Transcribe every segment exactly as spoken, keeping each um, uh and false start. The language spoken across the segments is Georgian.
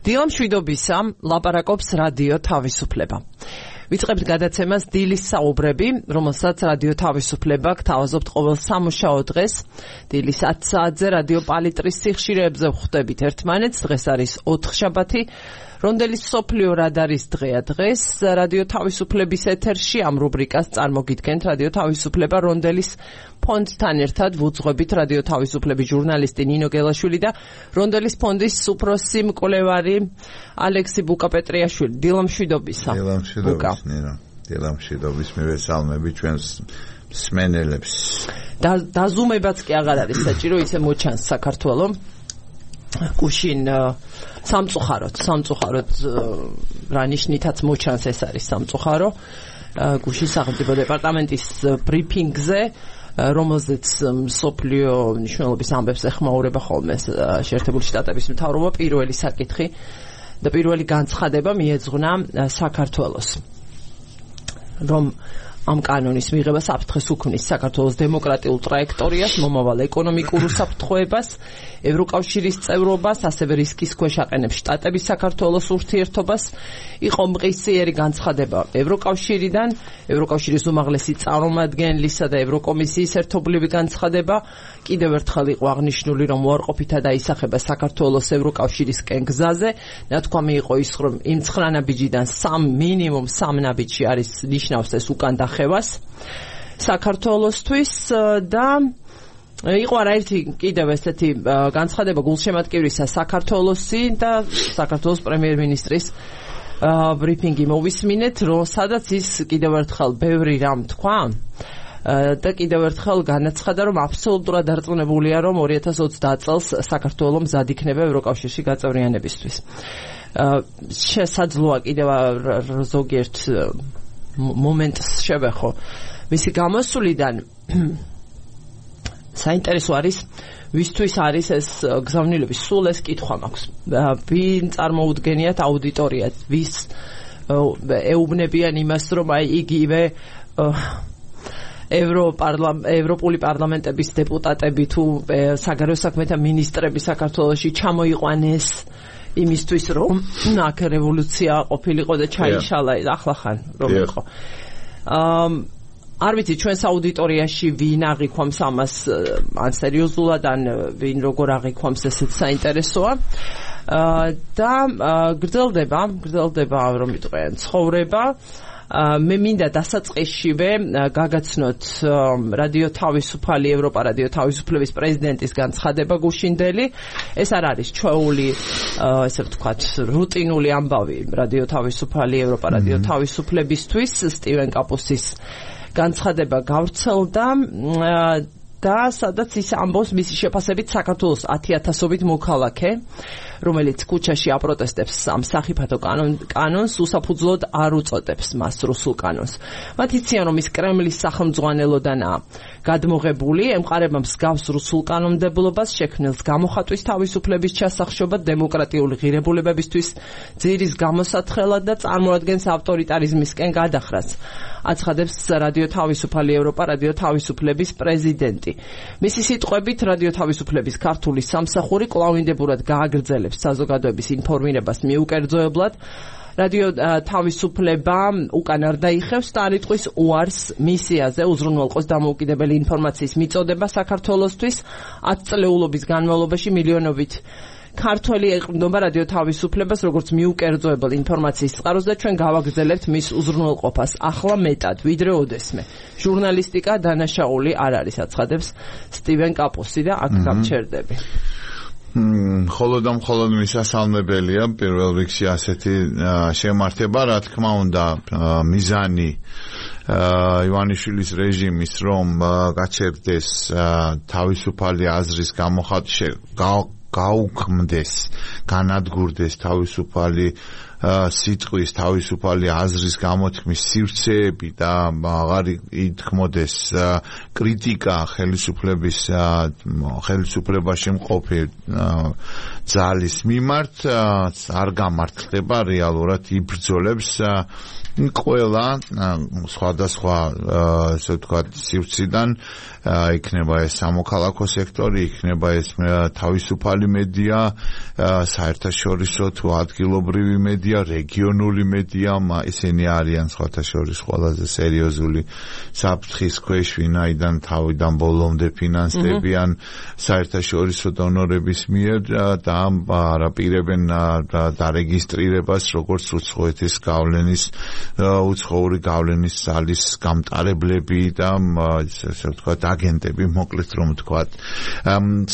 დილამშვიდობისა ლაპარაკობს რადიო თავისუფლება. ვიწყებთ გადაცემას დილის საუბრები, რომელსაც რადიო თავისუფლება გთავაზობთ ყოველ სამუშაო დღეს. დილის ათ საათზე რადიო პალიტრის სიხშირეებზე ვხვდებით ერთმანეთს. დღეს არის ოთხშაბათი. რონდელის სოფლიო რადარის დღეა დღეს. რადიო თავისუფლების ეთერში ამ რუბრიკას წარმოგიდგენთ რადიო თავისუფლება რონდელის ფონდთან ერთად ვუძღვებით რადიო თავისუფლების ჟურნალისტი ნინო გელაშვილი და რონდელის ფონდის უფროსი მკვლევარი ალექსი ბუკა-პეტრიაშვილი. დილამშვიდობისა. დილამშვიდობის ნინო. დილამშვიდობის მივესალმები ჩვენს მსმენელებს. და დაზუმებაც კი აღარ არის საჭირო, ისე მოჩანს საქართველოს. გუშინ სამწუხაროდ, სამწუხაროდ რა ნიშნითაც მოჩანს ეს არის სამწუხარო. გუშინ სახელმწიფო დეპარტამენტის ბრიფინგზე, რომელზეც მსოფლიო მნიშვნელობის ამბებს ეხმაურება ხოლმე შეერთებული შტატების მთავრობა, პირველი საკითხი და პირველი განცხადება მიეძღვნა საქართველოს, რომ ამ კანონის მიღება საფრთხეს უქმნის საქართველოს დემოკრატიულ ტრაექტორიას, მომავალ ეკონომიკურ უსაფრთხოებას, ევროკავშირის წევრობას, ასევე რისკის ქვეშ აყენებს შტატების საქართველოს ურთიერთობას. იყო მყისიერი განცხადება ევროკავშირიდან, ევროკავშირის უმაღლესი წარმომადგენლისა და ევროკომისიის ერთობლივი განცხადება. კიდევ ერთხელ იყო აღნიშნული, რომ უარყოფითად აისახება საქართველოს ევროკავშირისკენ გზაზე. ნათქვამი იყო ის, რომ იმ ცხრა ნაბიჯიდან სამ მინიმუმ სამ ნაბიჯი არის ნიშნავს ეს უკან დახევას საქართველოსთვის და იყო არაერთი კიდევ ესეთი განცხადება გულშემატკივრისა საქართველოსი და საქართველოს პრემიერ-მინისტრის ბრიფინგი მოვისმინეთ, რომ სადაც ის კიდევ ერთხელ ბევრი რამ თქვა და კიდევ ერთხელ განაცხადა, რომ აბსოლუტურად დარწმუნებულია, რომ ორი ათას ოცდაათ წელს საქართველოს მზად იქნება ევროკავშირში გაწევრიანებისთვის. შესაძლოა კიდევ ზოგიერთ მომენტს შევეხო მისი გამოსვლიდან. საინტერესო არის ვისთვის არის ეს გზავნილების, სულ ეს კითხვა მაქვს. ვინ წარმოუდგენიათ აუდიტორიას, ვის ეუბნებიან იმას, რომ აი იგივე ევროპული პარლამენტების დეპუტატები თუ საგარეო საქმეთა მინისტრები საქართველოში ჩამოიყვანეს იმისთვის, რომ აქ რევოლუცია ყოფილიყო და ჩაიშალა ახლახან რომ იყო. არ ვიცი ჩვენს აუდიტორიაში ვინ აღიქვამს ამას ან სერიოზულად, ან ვინ როგორ აღიქვამს, ესეც საინტერესოა. და გრძელდება, გრძელდება რომ ვიტყვიან ცხოვრება. მე მინდა დასაწყისშივე გაგაცნოთ რადიო თავისუფალი, ევროპა რადიო თავისუფლების პრეზიდენტის განცხადება გუშინდელი. ეს არ არის ჩვეული, ესე ვთქვათ, რუტინული ამბავი რადიო თავისუფალი, ევროპა რადიო თავისუფლებისთვის. სტივენ კაპუსის განცხადება გავრცელდა და სადაც ის ამბობს მისი შეფასებით საქართველოს ათი ათასობით მოქალაქე, რომელიც ქუჩაში აპროტესტებს ამ სახიფათო კანონს, უსაფუძვლოდ არ უწოდებს მას რუსულ კანონს. მათ იციან, რომ ის კრემლის სახელმძღვანელოდანაა გადმოღებული, ემყარება მსგავს რუსულ კანონმდებლობას, შექმნილს გამოხატვის თავისუფლების ჩასახშობად, დემოკრატიული ღირებულებებისთვის ძირის გამოსათხელად და წარმოადგენს ავტორიტარიზმისკენ გადახრას. აცხადებს რადიო თავისუფალი, ევროპა რადიო თავისუფლების პრეზიდენტი. მისი სიტყვებით, რადიო თავისუფლების ქართული სამსახური კვლავინდებურად გააგრძელებს საზოგადოების ინფორმირებას მიუკერძოებლად. რადიო თავისუფლება უკან არ დაიხევს და არ იტყვის უარს მისიაზე უზრუნველყოს დამოუკიდებელი ინფორმაციის მიწოდება საქართველოსთვის. ათწლეულობის განმავლობაში მილიონობით ქართველი ეყრდნობა რადიო თავისუფლებას როგორც მიუკერძოებელ ინფორმაციის წყაროს და ჩვენ გავაგრძელებთ მის უზრუნველყოფას ახლა მეტად ვიდრე ოდესმე. ჟურნალისტიკა დანაშაული არ არის, აცხადებს სტივენ კაპუსი და აქ გამჩერდები. მხოლოდ და მხოლოდ მისასალმებელია პირველ რიგში ასეთი შემართება, რა თქმა უნდა, მიზანი ივანიშვილის რეჟიმის რომ გაჩერდეს თავისუფალი აზრის გამოხატვა, გაუქმდეს, განადგურდეს თავისუფალი სიტყვის, თავისუფალი აზრის გამოთქმის სივრცეები და აღარ ითქმოდეს კრიტიკა ხელისუფლების ხელისუფლებაში მყოფი ძალის მიმართ, არ გამართლდება რეალურად იბრძოლებს ყველა სხვადასხვა ესე ვთქვათ სივრციდან იქნება ეს სამოქალაქო სექტორი, იქნება ეს თავისუფალი მედია, საერთაშორისო თუ ადგილობრივი მედია, რეგიონული მედია, ისინი არიან სხვათა შორის ყველაზე სერიოზული საფრთხის ქვეშ, ვინაიდან თავიდან ბოლომდე ფინანსდებიან საერთაშორისო დონორების მიერ და არაპირებენ დარეგისტრირებას როგორც უცხოეთის გავლენის უცხოური გავლენის ძალის გამტარებლები და ესე ვთქვათ აგენტები, მოკლედ რომ ვთქვათ.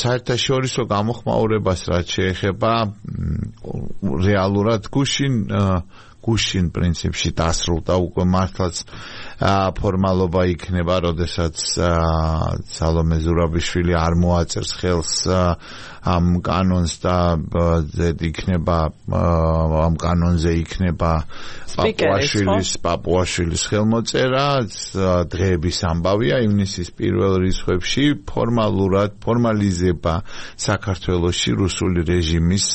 საერთაშორისო გამოხმაურებას რაც შეეხება რეალურად გუშინ გუშინ პრინციპში დასრულდა უკვე მართლაც ფორმალობა იქნება, როდესაც სალომე ზურაბიშვილი არ მოაწერს ხელს ამ კანონს და იქნება ამ კანონზე იქნება პაპუაშვილის პაპუაშვილის ხელმოწერა, დღეების ამბავია ივნისის პირველ რიცხვებში ფორმალურად ფორმალიზება საქართველოში რუსული რეჟიმის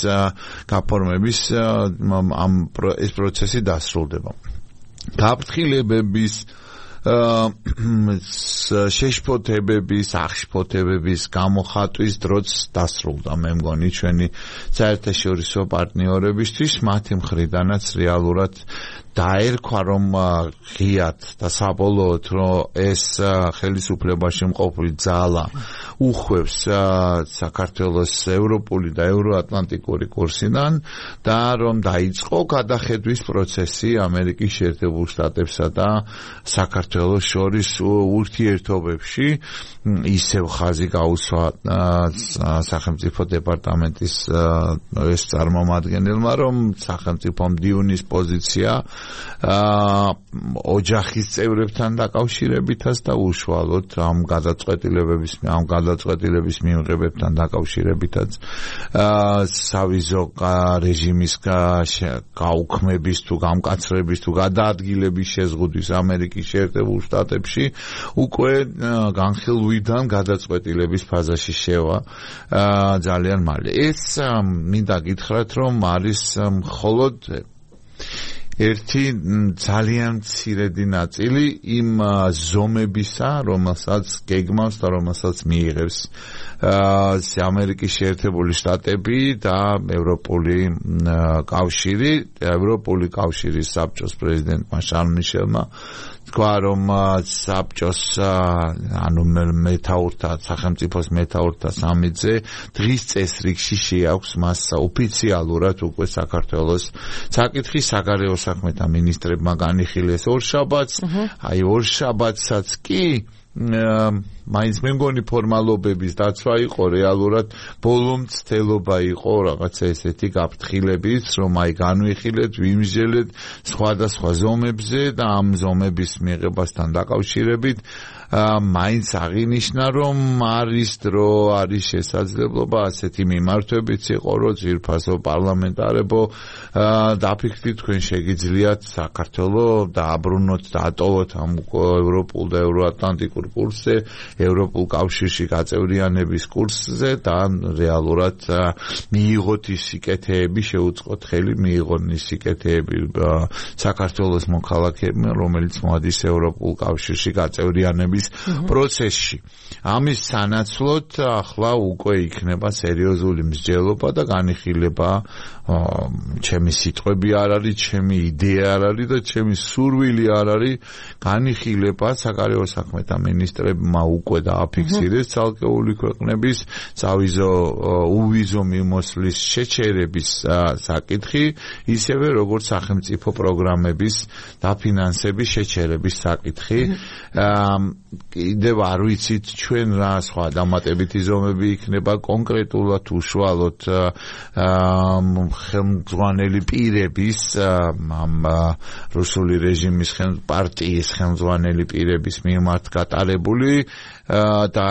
გაფორმების ამ ეს პროცესი დასრულდება. გაფრთხილებების შეშფოთებების, აღშფოთებების გამოხატვის დროც დასრულდა, მე მგონი ჩვენი საერთაშორისო პარტნიორებისთვის, მათი მხრიდანაც რეალურად დაერქვა რომ ღიად და საბოლოოდ რომ ეს ხელისუფლებაში მყოფი ძალა უხვევს საქართველოს ევროპული და ევროატლანტიკური კურსიდან და რომ დაიწყო გადახედვის პროცესი ამერიკის შეერთებულ შტატებსა და საქართველოს შორის ურთიერთობებში, ისევ ხაზი გაუსვა სახელმწიფო დეპარტამენტის ეს წარმომადგენელმა, რომ სახელმწიფო მდივნის პოზიცია ოჯახის წევრებთან დაკავშირებითაც და უშუალოდ ამ გადაწყვეტილებების ამ გადაწყვეტილების მიღებებთან დაკავშირებითაც სავიზო რეჟიმის გაუქმების თუ გამკაცრების თუ გადაადგილების შეზღუდვის ამერიკის შეერთებულ შტატებში უკვე განხილვიდან გადაწყვეტილების ფაზაში შევა ძალიან მალე. ეს მინდა გითხრათ, რომ არის მხოლოდ ერთი ძალიან მცირედი ნაწილი იმ ზომებისა, რომელსაც გეგმავს და რომელსაც მიიღებს ამერიკის შეერთებული შტატები და ევროპული კავშირი, ევროპული კავშირის საბჭოს პრეზიდენტმა შარლ მიშელმა თქვა, რომ საბჭოს ანუ მეთაურთა სახელმწიფოს მეთაურთა სამიტზე დღის წესრიგში შეაქვს მას ოფიციალურად უკვე საქართველოს საკითხი საგარეო საქმეთა მინისტრებმა განიხილეს ორშაბათს, აი ორშაბათსაც კი მაინც მე მგონი ფორმალობების დაცვა იყო, რეალურად ბოლო მცდელობა იყო რაღაცა ესეთი გაფრთხილებით, რომ აი განვიხილეთ, ვიმსჯელეთ სხვადასხვა ზომებზე და ამ ზომების მიღებასთან დაკავშირებით მაინც აღინიშნა, რომ არის დრო, არის შესაძლებლობა ასეთი მიმართვებით იყო, რომ ძვირფასო პარლამენტარებო დაფიქრდით, თქვენ შეგიძლიათ საქართველოს დააბრუნოთ და ატოლოთ ამ ევროპულ და ევროატლანტიკურ კურსზე, ევროპულ კავშირში გაწევრიანების კურსზე და რეალურად მიიღოთ ის სიკეთეები, შეუწყოთ ხელი მიიღონ ის სიკეთეები საქართველოს მოქალაქეებმა, რომელიც მოადის ევროპულ კავშირში გაწევრიანების პროცესში. ამის სანაცვლოდ ახლა უკვე იქნება სერიოზული მსჯელობა და განიხილება, ჩემი სიტყვები არ არის, ჩემი იდეა არ არის და ჩემი სურვილი არ არის, განიხილება საგარეო საქმეთა მინისტრებმა უკვე დააფიქსირეს ცალკეული ქვეყნების სავიზო უვიზო მიმოსვლის შეჩერების საკითხი, ისევე როგორც სახელმწიფო პროგრამების დაფინანსების შეჩერების საკითხი. კიდევ არ ვიცით ჩვენ რა სხვა დამატებითი ზომები იქნება კონკრეტულად უშუალოდ ხელმძღვანელი პირების ამ რუსული რეჟიმის პარტიის ხელმძღვანელი პირების მიმართ გატარებული და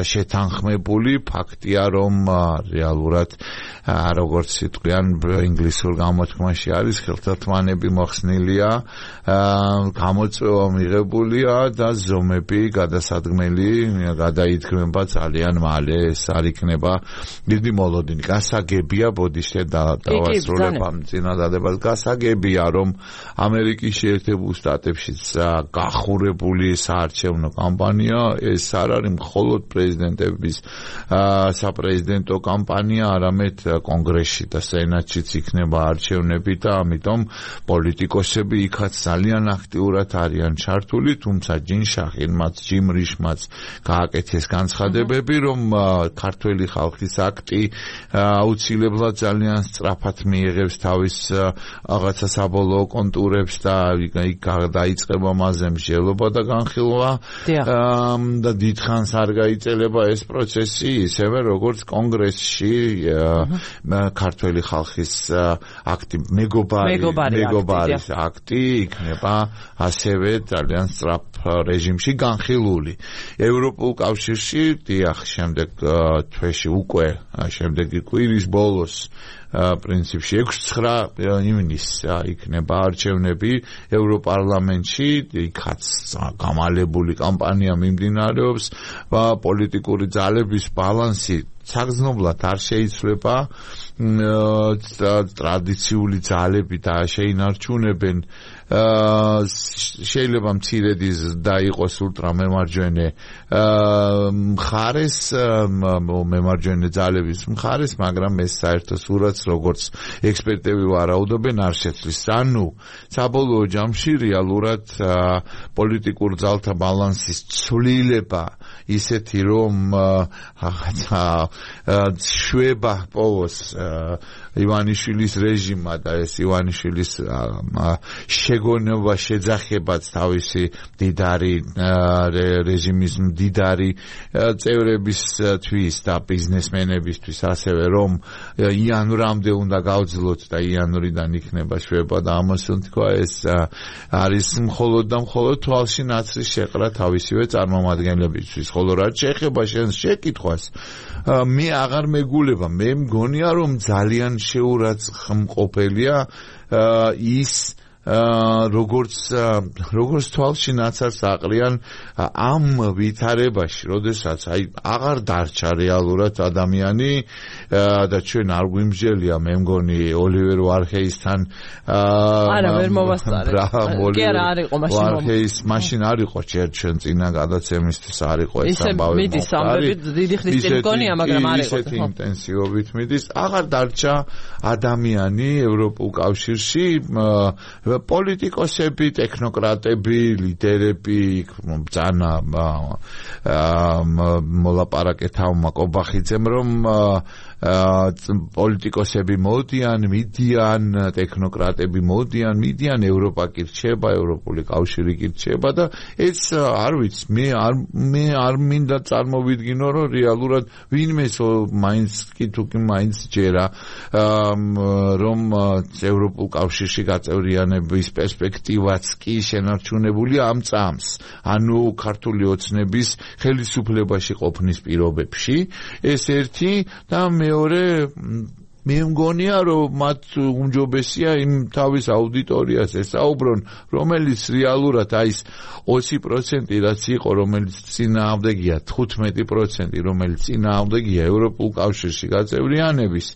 შეთანხმებული ფაქტია, რომ რეალურად როგორც სიტყვიან ინგლისურ გამოთქმაში არის, ხელთათმანები მოხსნილია, გამოწვევა მიღებულია და ბრძომები გადასადგმელი გადაიდგმება ძალიან მალე ეს არ იქნება დიდი მოლოდინი გასაგებია ბოდიშე და დავასრულებ ამ წინადადებას გასაგებია რომ ამერიკის შეერთებულ შტატებშიც გახურებული საარჩევნო კამპანია ეს არ არის მხოლოდ პრეზიდენტების საპრეზიდენტო კამპანია არამედ კონგრესში და სენატშიც იქნება არჩევნები და ამიტომ პოლიტიკოსები იქაც ძალიან აქტიურად არიან ჩართული თუმცა ჯინშახინმაც ჯიმრიშმაც გააკეთეს განცხადებები რომ ქართველი ხალხის აქტი აუცილებლად ძალიან სწრაფად მიიღებს თავის რაღაცა საბოლოო კონტურებს და იქ დაიწყება მასზე მსჯელობა და განხილვა და დიდხანს არ გაიწელება ეს პროცესი ისევე როგორც კონგრესში ქართველი ხალხის აქტი მეგობარი მეგობარის აქტი იქნება ასევე ძალიან სწრაფ რეჟიმში განხილული ევროპულ კავშირში დიახ შემდეგ თვეში უკვე შემდეგი კვირის ბოლოს პრინციპში ექვსი ცხრა ივნისს იქნება არჩევნები ევროპარლამენტში იქაც გამალებული კამპანია მიმდინარეობს და პოლიტიკური ძალების ბალანსი საგრძნობლად არ შეიცვლება ტრადიციული ძალები და შეინარჩუნებენ შეიძლება მცირედი და იყოს ულტრამემარჯვენე მხარეს მემარჯვენე ძალების მხარეს მაგრამ ეს საერთო სურათს როგორც ექსპერტები ვარაუდობენ არ შეცვლის ანუ საბოლოო ჯამში რეალურად პოლიტიკურ ძალთა ბალანსის ცვლილება ისეთი რომ რაღაცა შვება პოვოს ივანიშვილის რეჟიმმა და ეს ივანიშვილის შეგონება შეძახებაც თავისი დიდარი რეჟიმის დიდარი წევრებისთვის და ბიზნესმენებისთვის ასევე რომ იანვრამდე უნდა გავძლოთ და იანვრიდან იქნება შვება და ამას თქვა ეს არის მხოლოდ და მხოლოდ თვალში ნაცრის შეყრა თავისივე წარმომადგენლებისთვის ხოლო რაც შეეხება შენს შეკითხვას მე აღარ მეგულება მე მგონია რომ ძალიან შეურაცხმყოფელია ის როგორც როგორც თვალში ნაცარს აყრიან ამ ვითარებაში, როდესაც აი აღარ დარჩა რეალურად ადამიანი და ჩვენ არ გვიმსჯელია მე მგონი ოლივერ ვარჰეისთან არა ვერ მოვასწარე. კი არა არ იყო მაშინ ვარჰეის მაშინ არ იყო ჩვენ წინა გადაცემისთვის არ იყო ეს ამბავი. მიდის ამბები დიდი ხნის წინ მგონია მაგრამ არ იყო. ისეთი ინტენსივობით მიდის აღარ დარჩა ადამიანი ევროპულ კავშირში პოლიტიკოსები, ტექნოკრატები, ლიდერები, ბრძანა მოლაპარაკეთავმა კობახიძემ რომ პოლიტიკოსები მოდიან, მიდიან, ტექნოკრატები მოდიან, მიდიან, ევროპა კი რჩება, ევროპული კავშირი კი რჩება და ეს არ ვიცი, მე არ მე არ მინდა წარმოვიდგინო რომ რეალურად ვინმეს მაინც კი თუ კი მაინც ჯერა რომ ევროპულ კავშირში გაწევრიანების პერსპექტივაც კი შენარჩუნებული ამ წამს, ანუ ქართული ოცნების ხელისუფლებაში ყოფნის პირობებში, ეს ერთი და მეორე მე მგონია რომ მათ უმჯობესია იმ თავის აუდიტორიას ესაუბრონ, რომელიც რეალურად აი ეს ოცი პროცენტი რაც იყო, რომელიც წინააღმდეგია თხუთმეტი პროცენტი, რომელიც წინააღმდეგია ევროპულ კავშირში გაწევრიანების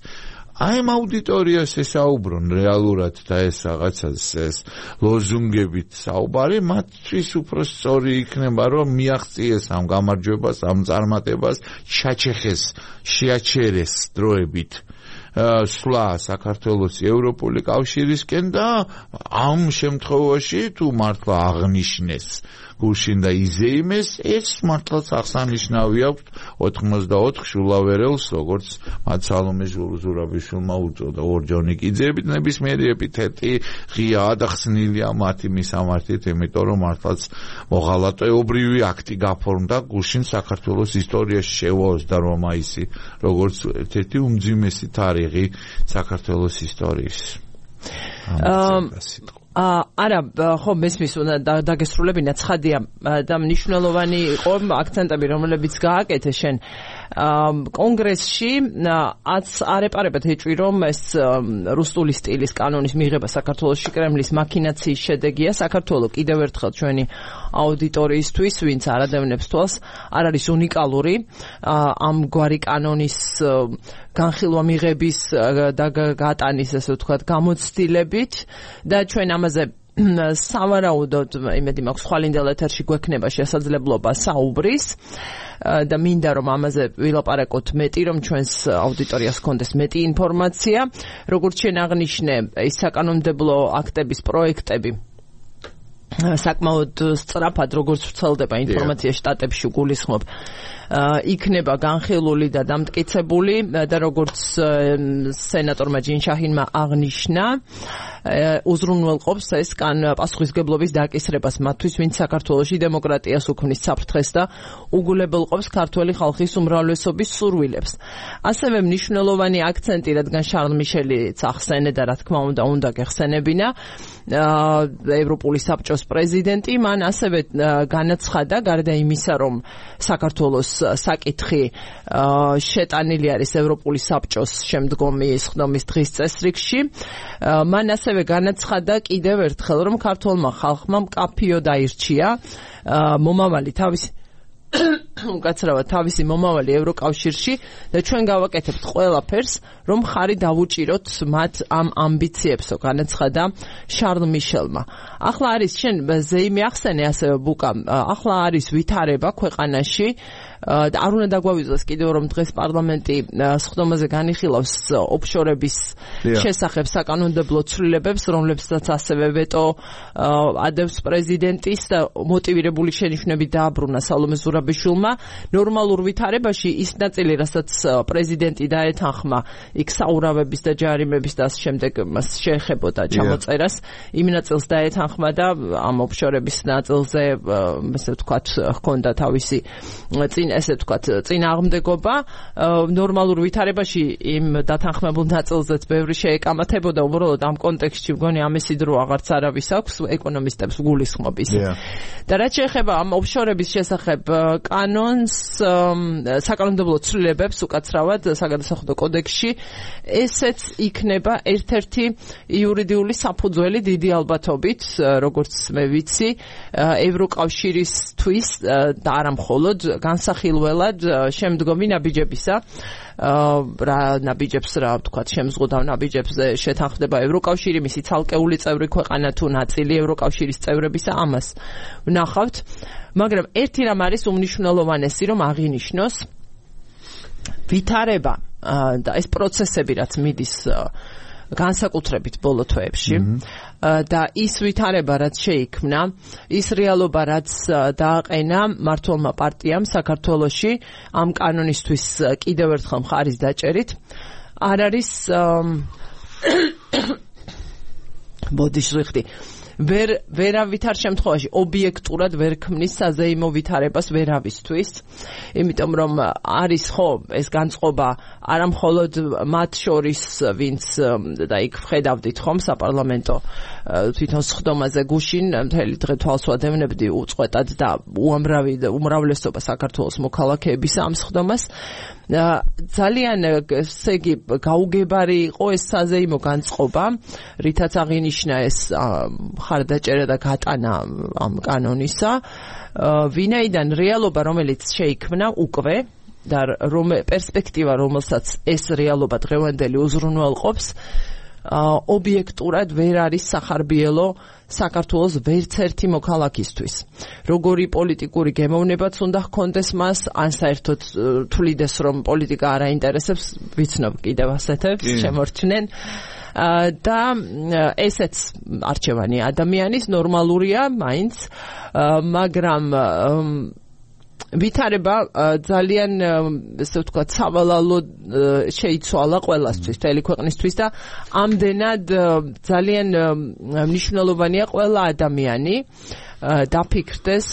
აი ამ აუდიტორიას ესაუბრონ რეალურად და ეს რაღაცას ეს ლოზუნგებით საუბარი მათთვის უფრო სწორი იქნება რომ მიაღწიეს ამ გამარჯვებას ამ წარმატებას ჩაჩეხეს შეაჩერეს დროებით სვლა საქართველოს ევროპული კავშირისკენ და ამ შემთხვევაში თუ მართლა აღნიშნეს გუშინ და იზეიმეს ეს მართლაც აღსანიშნავი აქვს ოთხმოცდაოთხ შულავერელს როგორც მათ სალომე ზურაბიშვილმა უწოდა ორჯონიკიძეებით ნებისმიერი ეპითეტი ღია ადახსნილია მათი მისამართით იმიტომ რომ მართლაც მოღალატეობრივი აქტი გაფორმდა გუშინ საქართველოს ისტორიაში შევაოსდა რომ მაისი როგორც ერთ-ერთი უმძიმესი თარიღი საქართველოს ისტორიის არა ხო მესმის უნდა დაგესრულებინა ცხადია და მნიშვნელოვანი იყო აქცენტები რომლებიც გააკეთე შენ კონგრესში აც არეპარებად ეჭვი რომ ეს რუსული სტილის კანონის მიღება საქართველოში კრემლის მაქინაციის შედეგია. საქართველო კიდევ ერთხელ ჩვენი აუდიტორიისთვის, ვინც არ ადევნებს თვალს, არ არის უნიკალური ამგვარი კანონის განხილვა მიღების და გატანის, ასე ვთქვათ, გამოცდილებით და ჩვენ ამაზე სავარაუდოდ იმედი მაქვს ხვალინდელ ეთერში გვექნება შესაძლებლობა საუბრის და მინდა რომ ამაზე ვილაპარაკოთ მეტი, რომ ჩვენს აუდიტორიას ჰქონდეს მეტი ინფორმაცია. როგორც შენ აღნიშნე, ის საკანონმდებლო აქტების პროექტები საკმაოდ სწრაფად, როგორც ვრცელდება ინფორმაცია შტატებში, გულისხმობ, იქნება განხილული და დამტკიცებული და როგორც სენატორმა ჯინშაჰინმა აღნიშნა, უზრუნველყოფს ეს კან პასუხისგებლობის დაკისრებას მათთვის, ვინც საქართველოში დემოკრატიას უქმნის საფრთხეს და უგულებელყოფს ქართველი ხალხის უმრავლესობის სურვილებს. ასევე მნიშვნელოვანი აქცენტი, რადგან შარლ მიშელიც ახსენე და რა თქმა უნდა უნდა გეხსენებინა, ევროპული საბჭოს პრეზიდენტი, მან ასევე განაცხადა, გარდა იმისა, რომ საქართველოს საკითხი შეტანილი არის ევროპული საბჭოს შემდგომი სხდომის დღის წესრიგში, მან ასევე განაცხადა კიდევ ერთხელ, რომ ქართველმა ხალხმა მკაფიოდ აირჩია მომავალი თავისი უკაცრავად თავისი მომავალი ევროკავშირში და ჩვენ გავაკეთებთ ყველაფერს, რომ ხარი დავუჭიროთ მათ ამ ამბიციებსო, განაცხადა შარლ მიშელმა. ახლა არის შენ ზეიმი ახსენე ასევე ბუკა, ახლა არის ვითარება ქვეყანაში და არ უნდა დაგვავიწყდეს კიდევ რომ დღეს პარლამენტი სხდომაზე განიხილავს ოფშორების შესახებ საკანონმდებლო ცვლილებებს, რომლებსაც ასევე ვეტო ადევს პრეზიდენტის და მოტივირებული შენიშვნებით დააბრუნა სალომე ზურაბიშვილმა. ნორმალურ ვითარებაში ის ნაწილი, რასაც პრეზიდენტი დაეთანხმა იქ საურავების და ჯარიმების და ამ შემდეგ მას შეეხებოდა ჩამოწერას, იმ ნაწილს დაეთანხმა და ამ ოფშორების ნაწილზე, ესე ვთქვათ, ჰქონდა თავისი წინ ესე ვთქვათ, წინააღმდეგობა. ნორმალურ ვითარებაში იმ დათანხმებულ ნაწილზეც ბევრი შეეკამათებოდა, უბრალოდ ამ კონტექსტში მგონი ამისი დრო აღარც არავის აქვს ეკონომისტებს გულისხმობის. და რაც შეეხება ამ ოფშორების შესახებ კანონს, საკანონმდებლო ცვლილებებს უკაცრავად საგადასახადო კოდექსში, ესეც იქნება ერთ-ერთი იურიდიული საფუძველი დიდი ალბათობით, როგორც მე ვიცი, ევროკავშირისთვის და არა მხოლოდ განსახილველად შემდგომი ნაბიჯებისა, რა ნაბიჯებს რა ვთქვათ, შემზღუდავ ნაბიჯებზე შეთანხმდება ევროკავშირი, მისი ცალკეული წევრი ქვეყანა თუ ნაწილი ევროკავშირის წევრებისა, ამას ვნახავთ. მაგრამ ერთი რამ არის უმნიშვნელოვანესი, რომ აღინიშნოს ვითარება და ეს პროცესები, რაც მიდის განსაკუთრებით ბოლო თვეებში და ის ვითარება, რაც შეიქმნა, ის რეალობა, რაც დააყენა მმართველმა პარტიამ საქართველოში ამ კანონისთვის კიდევ ერთხელ მხარის დაჭერით, არ არის ბოდიშ ზღვიხდი ვერ ვერავითარ შემთხვევაში ობიექტურად ვერ ქმნის საზეიმო ვითარებას ვერავისთვის, იმიტომ რომ არის ხო ეს განწყობა არა მხოლოდ მათ შორის, ვინც და იქ ვხედავდით ხომ საპარლამენტო თვითონ სხდომაზე გუშინ მთელი დღე თვალს ვადევნებდი უწყვეტად და უამრავი უმრავლესობა საქართველოს მოქალაქეების ამ სხდომას. ძალიან ესე იგი გაუგებარი იყო ეს საზეიმო განწყობა, რითაც აღინიშნა ეს ხარდაჭერა და გატანა ამ კანონისა, ვინაიდან რეალობა, რომელიც შეიქმნა უკვე და რომ პერსპექტივა, რომელსაც ეს რეალობა დღევანდელი უზრუნველყოფს, ობიექტურად ვერ არის სახარბიელო საქართველოს ვერც ერთი მოქალაქისთვის. როგორი პოლიტიკური გემოვნებაც უნდა ჰქონდეს მას, ან საერთოდ თვლიდეს რომ პოლიტიკა არ აინტერესებს, ვიცნობ კიდევ ასეთებს შემორჩნენ. და ესეც არჩევანი ადამიანის ნორმალურია მაინც, მაგრამ ვითარება ძალიან ესე ვთქვათ სავალალო შეიცვალა ყველასთვის, მთელი ქვეყნისთვის და ამდენად ძალიან მნიშვნელოვანია ყველა ადამიანი დაფიქრდეს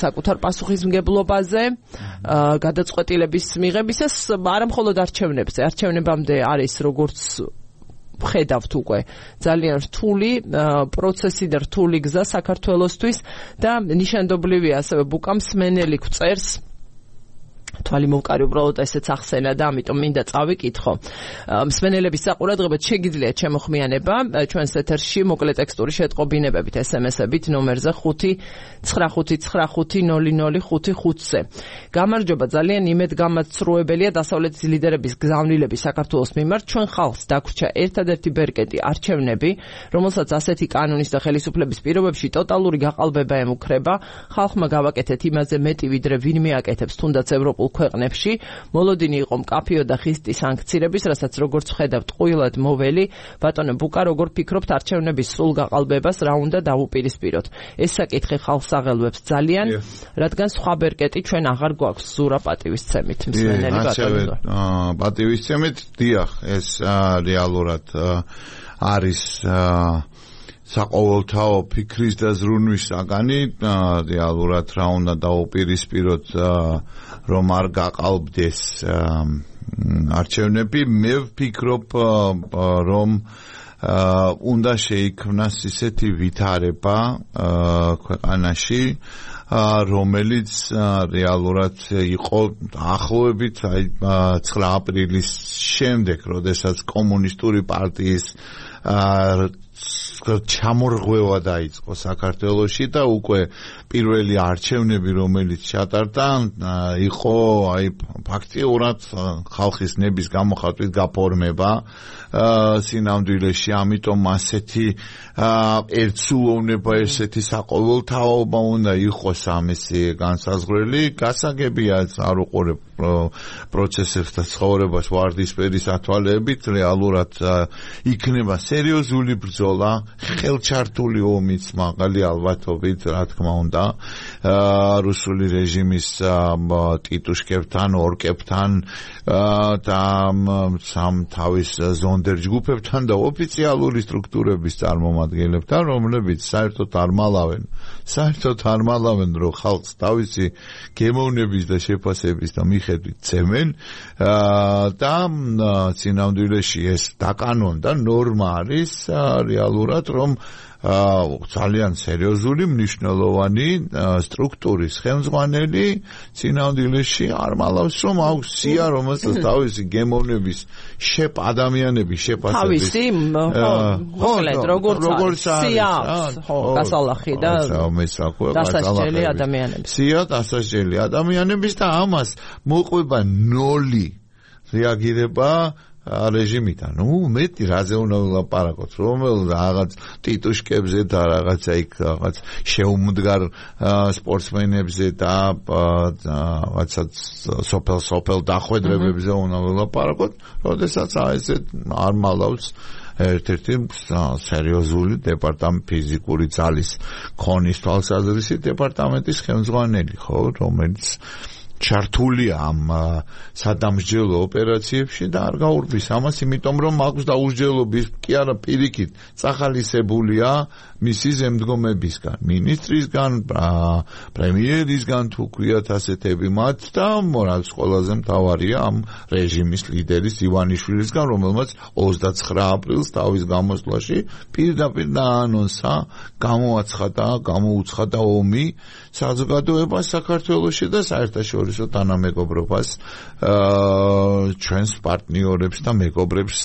საკუთარ პასუხისმგებლობაზე, გადაწყვეტილების მიღებისას, არა მხოლოდ არჩევნებზე. არჩევნებამდე არის როგორც ხედავთ უკვე ძალიან რთული პროცესი და რთული გზა საქართველოსთვის და ნიშანდობლივია ასევე ბუკამ სმენელი გვწერს თვალი მოვკარი უბრალოდ ესეც ახსენა და ამიტომ მინდა წავიკითხო. მსმენელების საყურადღებოდ შეგიძლიათ შემოხმიანება ჩვენს ეთერში მოკლე ტექსტური შეტყობინებებით ეს ემ ესებით ნომერზე ხუთი ცხრა ხუთი ცხრა ხუთი ნული ნული ხუთი ხუთზე. გამარჯობა, ძალიან იმედგამაცრუებელია დასავლეთის ლიდერების გზავნილების საქართველოს მიმართ. ჩვენ ხალხს დაგვრჩა ერთადერთი ბერკეტი არჩევნები, რომელსაც ასეთი კანონის და ხელისუფლების პირობებში ტოტალური გაყალბება ემუქრება. ხალხმა გავაკეთეთ იმაზე მეტი ვიდრე ვინმე აკეთებს თუნდაც ევროპულ ქვეყნებში. მოლოდინი იყო მკაფიო და ხისტი სანქცირების, რასაც როგორც ვხედავთ ყვილად მოველი. ბატონო ბუკა, როგორ ფიქრობთ არჩევნების სრულ გაყალბებას რა უნდა დავუპირისპიროთ? ეს საკითხი ხალხს აღელვებს ძალიან, რადგან სხვა ბერკეტი ჩვენ აღარ გვაქვს ზურა პატივისცემით მსმენელი ბატონო. პატივისცემით დიახ, ეს რეალურად არის საყოველთაო ფიქრის და ზრუნვის საგანი, რეალურად რა უნდა დავუპირისპიროთ რომ არ გაყალბდეს არჩევნები. მე ვფიქრობ რომ უნდა შეიქმნას ისეთი ვითარება ქვეყანაში, რომელიც რეალურად იყო ახლოვებით აი ცხრა აპრილის შემდეგ, როდესაც კომუნისტური პარტიის ჩამორღვევა დაიწყო საქართველოში და უკვე პირველი არჩევნები, რომელიც ჩატარდა, იყო აი ფაქტიურად ხალხის ნების გამოხატვით გაფორმება სინამდვილეში, ამიტომ ასეთი ერთსულოვნება, ესეთი საყოველთაობა უნდა იყოს ამისი განსაზღვრელი. გასაგებია არ უყურებ პროცესებს და ცხოვრებას ვარდისფერი სათვალეებით, რეალურად იქნება სერიოზული ბრძოლა, ხელჩართული ომიც მაღალი ალბათობით, რა თქმა უნდა, რუსული რეჟიმის ტიტუშკებთან, ორკებთან და სამ თავის ზონდერ ჯგუფებთან და ოფიციალური სტრუქტურების წარმომადგენლებთან, რომლებიც საერთოდ არ მალავენ, საერთოდ არ მალავენ, რომ ხალხს თავისი გემოვნების და შეფასების და მიხედვით ცემენ და წინამძღოლში ეს დაკანონდა ნორმა არის რეალურად, რომ ძალიან სერიოზული მნიშვნელოვანი სტრუქტურის ხელმძღვანელი წინამძღოლში არ მალავს, რომ აქვს სია, რომელსაც თავისი გემოვნების შეფ ადამიანების შეფასების თავისი მოკლედ როგორც სია ხო გასალახი და დასასჯელი ადამიანების სია დასასჯელი ადამიანების და ამას მოყვება ნოლი რეაგირება რეჟიმიდან. ნუ მეტი რაზე უნდა ვილაპარაკოთ, რომელ რაღაც ტიტუშკებზე და რაღაცა იქ რაღაც შეუმდგარ სპორტსმენებზე და რაღაცა სოფელ სოფელ დახვედრებებზე უნდა ვილაპარაკოთ, როდესაც ესე არ მალავს ერთ-ერთი სერიოზული დეპარტამენტ ფიზიკური ძალის ქონის თვალსაზრისით დეპარტამენტის ხელმძღვანელი, ხო, რომელიც ჩართულია ამ სადამსჯელო ოპერაციებში და არ გაურბის ამას, იმიტომ რომ აქვს დაუსჯელობის კი არა პირიქით წახალისებულია მისი ზემდგომებისგან, მინისტრისგან, პრემიერისგან, თუ ქვიათ ასეთები მათ და მორალს ყველაზე მთავარია ამ რეჟიმის ლიდერის ივანიშვილისგან, რომელმაც ოცდაცხრა აპრილს თავის გამოსვლაში პირდაპირ დაანონსა, გამოაცხადა, გამოუცხადა ომი საზოგადოებას საქართველოში და საერთაშორისო თანამეგობრობას ჩვენს პარტნიორებს და მეგობრებს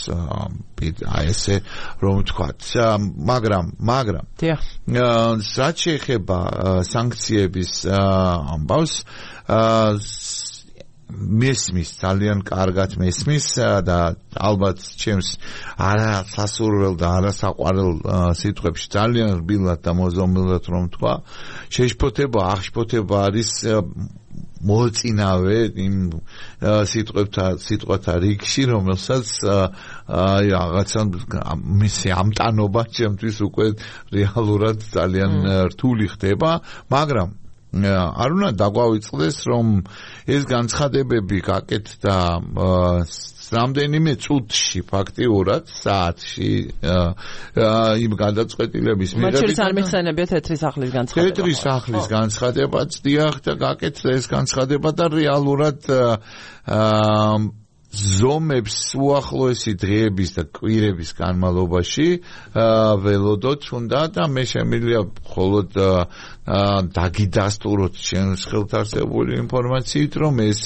აი ესე რომ ვთქვათ. მაგრამ მაგრამ რაც შეეხება სანქციების ამბავს, მესმის, ძალიან კარგად მესმის და ალბათ ჩემს არა სასურველ და არა საყვარელ სიტყვებში ძალიან რბილად და მოზომილად რომ თქვა, შეშფოთება, აღშფოთება არის მოწინავე იმ სიტყვებთან სიტყვათა რიგში, რომელსაც აი რაღაცა მისი ამტანობა ჩემთვის უკვე რეალურად ძალიან რთული ხდება, მაგრამ არ უნდა დაგვავიწყდეს, რომ ეს განცხადებები გაკეთდა რამდენიმე წუთში, ფაქტიურად საათში იმ გადაწყვეტილების მიღებით. მათ შორის არ მიხსენებიათ თეთრი სახლის განცხადება. თეთრი სახლის განცხადებაც დიახ და გაკეთდა ეს განცხადება და რეალურად ზომებს უახლოესი დღეების და კვირების განმავლობაში ველოდოთ უნდა და მე შემიძლია მხოლოდ დაგიდასტუროთ ჩემს ხელთარსებული ინფორმაციით, რომ ეს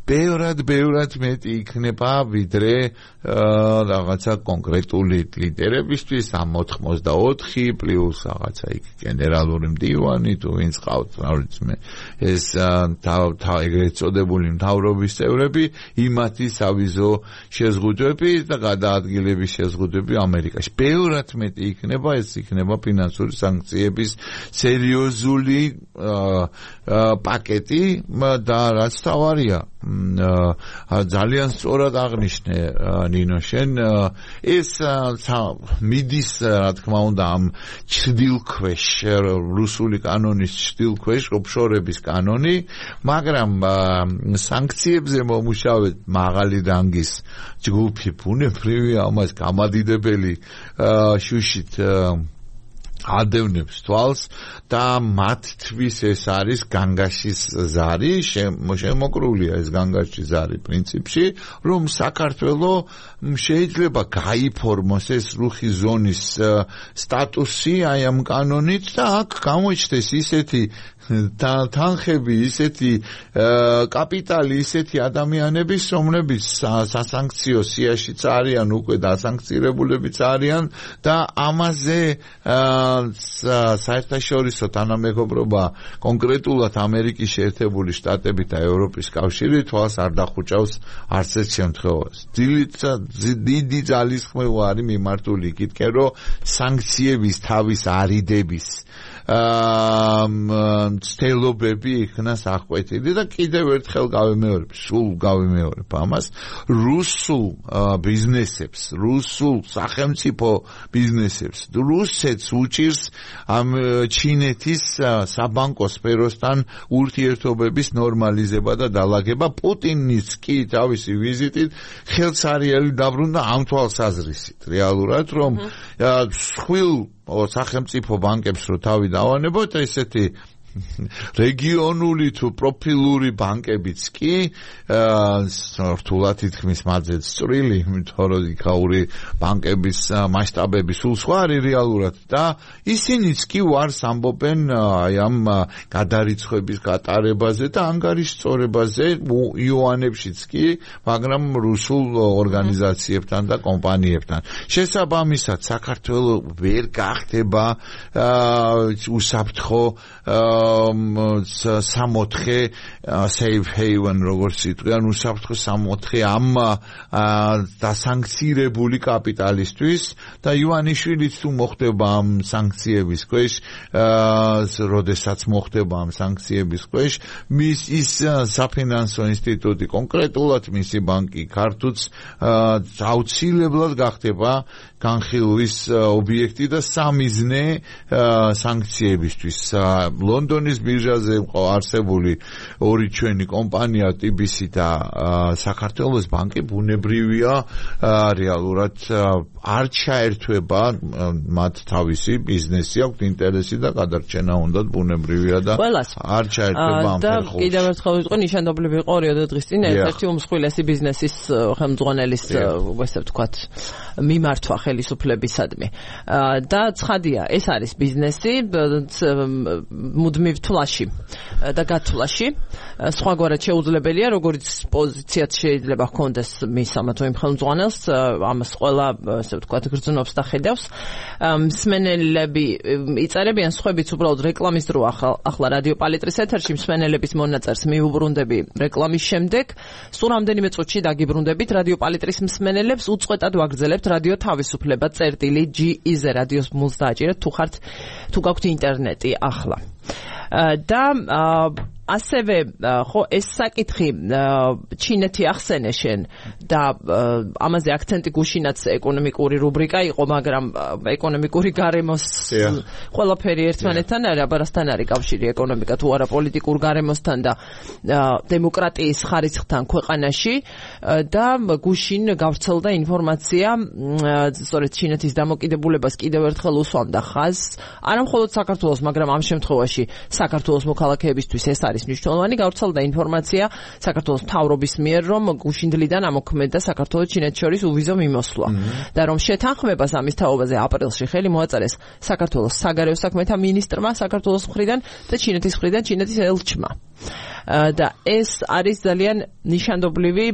ბევრად ბევრად მეტი იქნება ვიდრე რაღაცა კონკრეტული ლიდერებისთვის ამ ოთხმოცდაოთხი პლუს რაღაცა იქ გენერალური მდივანი თუ ვინც ყავთ რა ვიცი მე ეს ეგრეთ წოდებული მთავრობის წევრები იმათი სავიზო შეზღუდვები და გადაადგილების შეზღუდვები ამერიკაში ბევრად მეტი იქნება ეს იქნება ფინანსური სანქციების სერიოზული პაკეტი და რაც თავარია ძალიან სწორად აღნიშნე ნინო შენ ეს მიდის რა თქმა უნდა ამ ჩრდილქვეშ რუსული კანონის ჩრდილქვეშ ოფშორების კანონი მაგრამ სანქციებზე მომუშავეთ მაღალი რანგის ჯგუფი ბუნებრივია ამას გამადიდებელი შუშით ადევნებს თვალს და მათთვის ეს არის განგაშის ზარი შემოკრულია ეს განგაშის ზარი პრინციპში რომ საქართველოს შეიძლება გაიფორმოს ეს რუხი ზონის სტატუსი აი ამ კანონით და აქ გამოჩნდეს ისეთი თანხები ისეთი კაპიტალი ისეთი ადამიანების რომლებიც სასანქციო სიაშიც არიან უკვე დასანქცირებულებიც არიან და ამაზე საერთაშორისო თანამეგობრობა კონკრეტულად ამერიკის შეერთებული შტატებით და ევროპის კავშირი თვალს არ დახუჭავს არც ერთ შემთხვევას. დიდი ძალისხმევა არის მიმართული იქითკენ რომ სანქციების თავის არიდების ცდელობები იქნას აღკვეთილი და კიდევ ერთხელ გავიმეორებ, სულ გავიმეორებ ამას რუსულ ბიზნესებს, რუსულ სახელმწიფო ბიზნესებს, რუსეთს უჭირს ამ ჩინეთის საბანკო სფეროსთან ურთიერთობების ნორმალიზება და დალაგება. პუტინიც კი თავისი ვიზიტით ხელსარიელი დაბრუნდა ამ თვალსაზრისით რეალურად რომ სხვილ სახელმწიფო ბანკებს რო თავი დავანებოთ ესეთი რეგიონული თუ პროფილური ბანკებიც კი რთულად ითქმის მათზეც წვრილი, იმიტომ რომ იქაური ბანკების მასშტაბები სულ სხვა არის რეალურად და ისინიც კი ვარს ამბობენ აი ამ გადარიცხვების გატარებაზე და ანგარიშწორებაზე იუანებშიც კი, მაგრამ რუსულ ორგანიზაციებთან და კომპანიებთან. შესაბამისად საქართველოს ვერ გახდება უსაფრთხო სამოთხე safe haven როგორც იტყვიან უსაფრთხო სამოთხე ამ დასანქცირებული კაპიტალისტვის და ივანიშვილიც თუ მოხდება ამ სანქციების ქვეშ როდესაც მოხდება ამ სანქციების ქვეშ მის ის საფინანსო ინსტიტუტი კონკრეტულად მისი ბანკი ქართუც აუცილებლად გახდება განხილვის ობიექტი და სამიზნე სანქციებისთვის ლონდონის ბირჟაზე არსებული ორი ჩვენი კომპანია ტი ბი სი და საქართველოს ბანკი ბუნებრივია რეალურად არ ჩაერთვება მათ თავისი ბიზნესი აქვს ინტერესი და გადარჩენა უნდათ ბუნებრივია და არ ჩაერთვება ამ ფერხულში. და კიდევ ერთხელ ვიტყვი ნიშანდობლივ იყო ორი დღის წინ ერთ-ერთი უმსხვილესი ბიზნესის ხელმძღვანელის ესე ვთქვათ მიმართვა ხელისუფლებისადმი. და ცხადია ეს არის ბიზნესი მუდმივ თვლაში და გათვლაში სხვაგვარად შეუძლებელია როგორც პოზიციაც შეიძლება ჰქონდეს მის ამა თუ იმ ხელმძღვანელს ამას ყველა ესე ვთქვათ გრძნობს და ხედავს მსმენელები იწერებიან სხვებიც უბრალოდ რეკლამის დრო ახლა რადიო პალიტრის ეთერში მსმენელების მონაწერს მიუბრუნდები რეკლამის შემდეგ სულ რამდენიმე წუთში დაგიბრუნდებით რადიო პალიტრის მსმენელებს უწყვეტად ვაგრძელებთ რადიო თავისუფლება წერტილი ჯი ი-ზე რადიოს მულს დააჭირეთ თუ ხართ თუ გაქვთ ინტერნეტი ახლა და ასევე ხო ეს საკითხი ჩინეთი ახსენე შენ და ამაზე აქცენტი გუშინაც ეკონომიკური რუბრიკა იყო, მაგრამ ეკონომიკური გარემოს ყველაფერი ერთმანეთთან არის, აბარასთან არის კავშირი ეკონომიკა თუ არა პოლიტიკურ გარემოსთან და დემოკრატიის ხარისხთან ქვეყანაში და გუშინ გავრცელდა ინფორმაცია სწორედ ჩინეთის დამოკიდებულებას კიდევ ერთხელ უსვამდა ხაზს არა მხოლოდ საქართველოს, მაგრამ ამ შემთხვევაში საქართველოს მოქალაქეებისთვის ეს არის მნიშვნელოვანი. გავრცელდა ინფორმაცია საქართველოს მთავრობის მიერ, რომ გუშინდლიდან ამოქმედდა საქართველოს ჩინეთს შორის უვიზო მიმოსვლა და რომ შეთანხმებას ამის თაობაზე აპრილში ხელი მოაწერეს საქართველოს საგარეო საქმეთა მინისტრმა საქართველოს მხრიდან და ჩინეთის მხრიდან ჩინეთის ელჩმა. და ეს არის ძალიან ნიშანდობლივი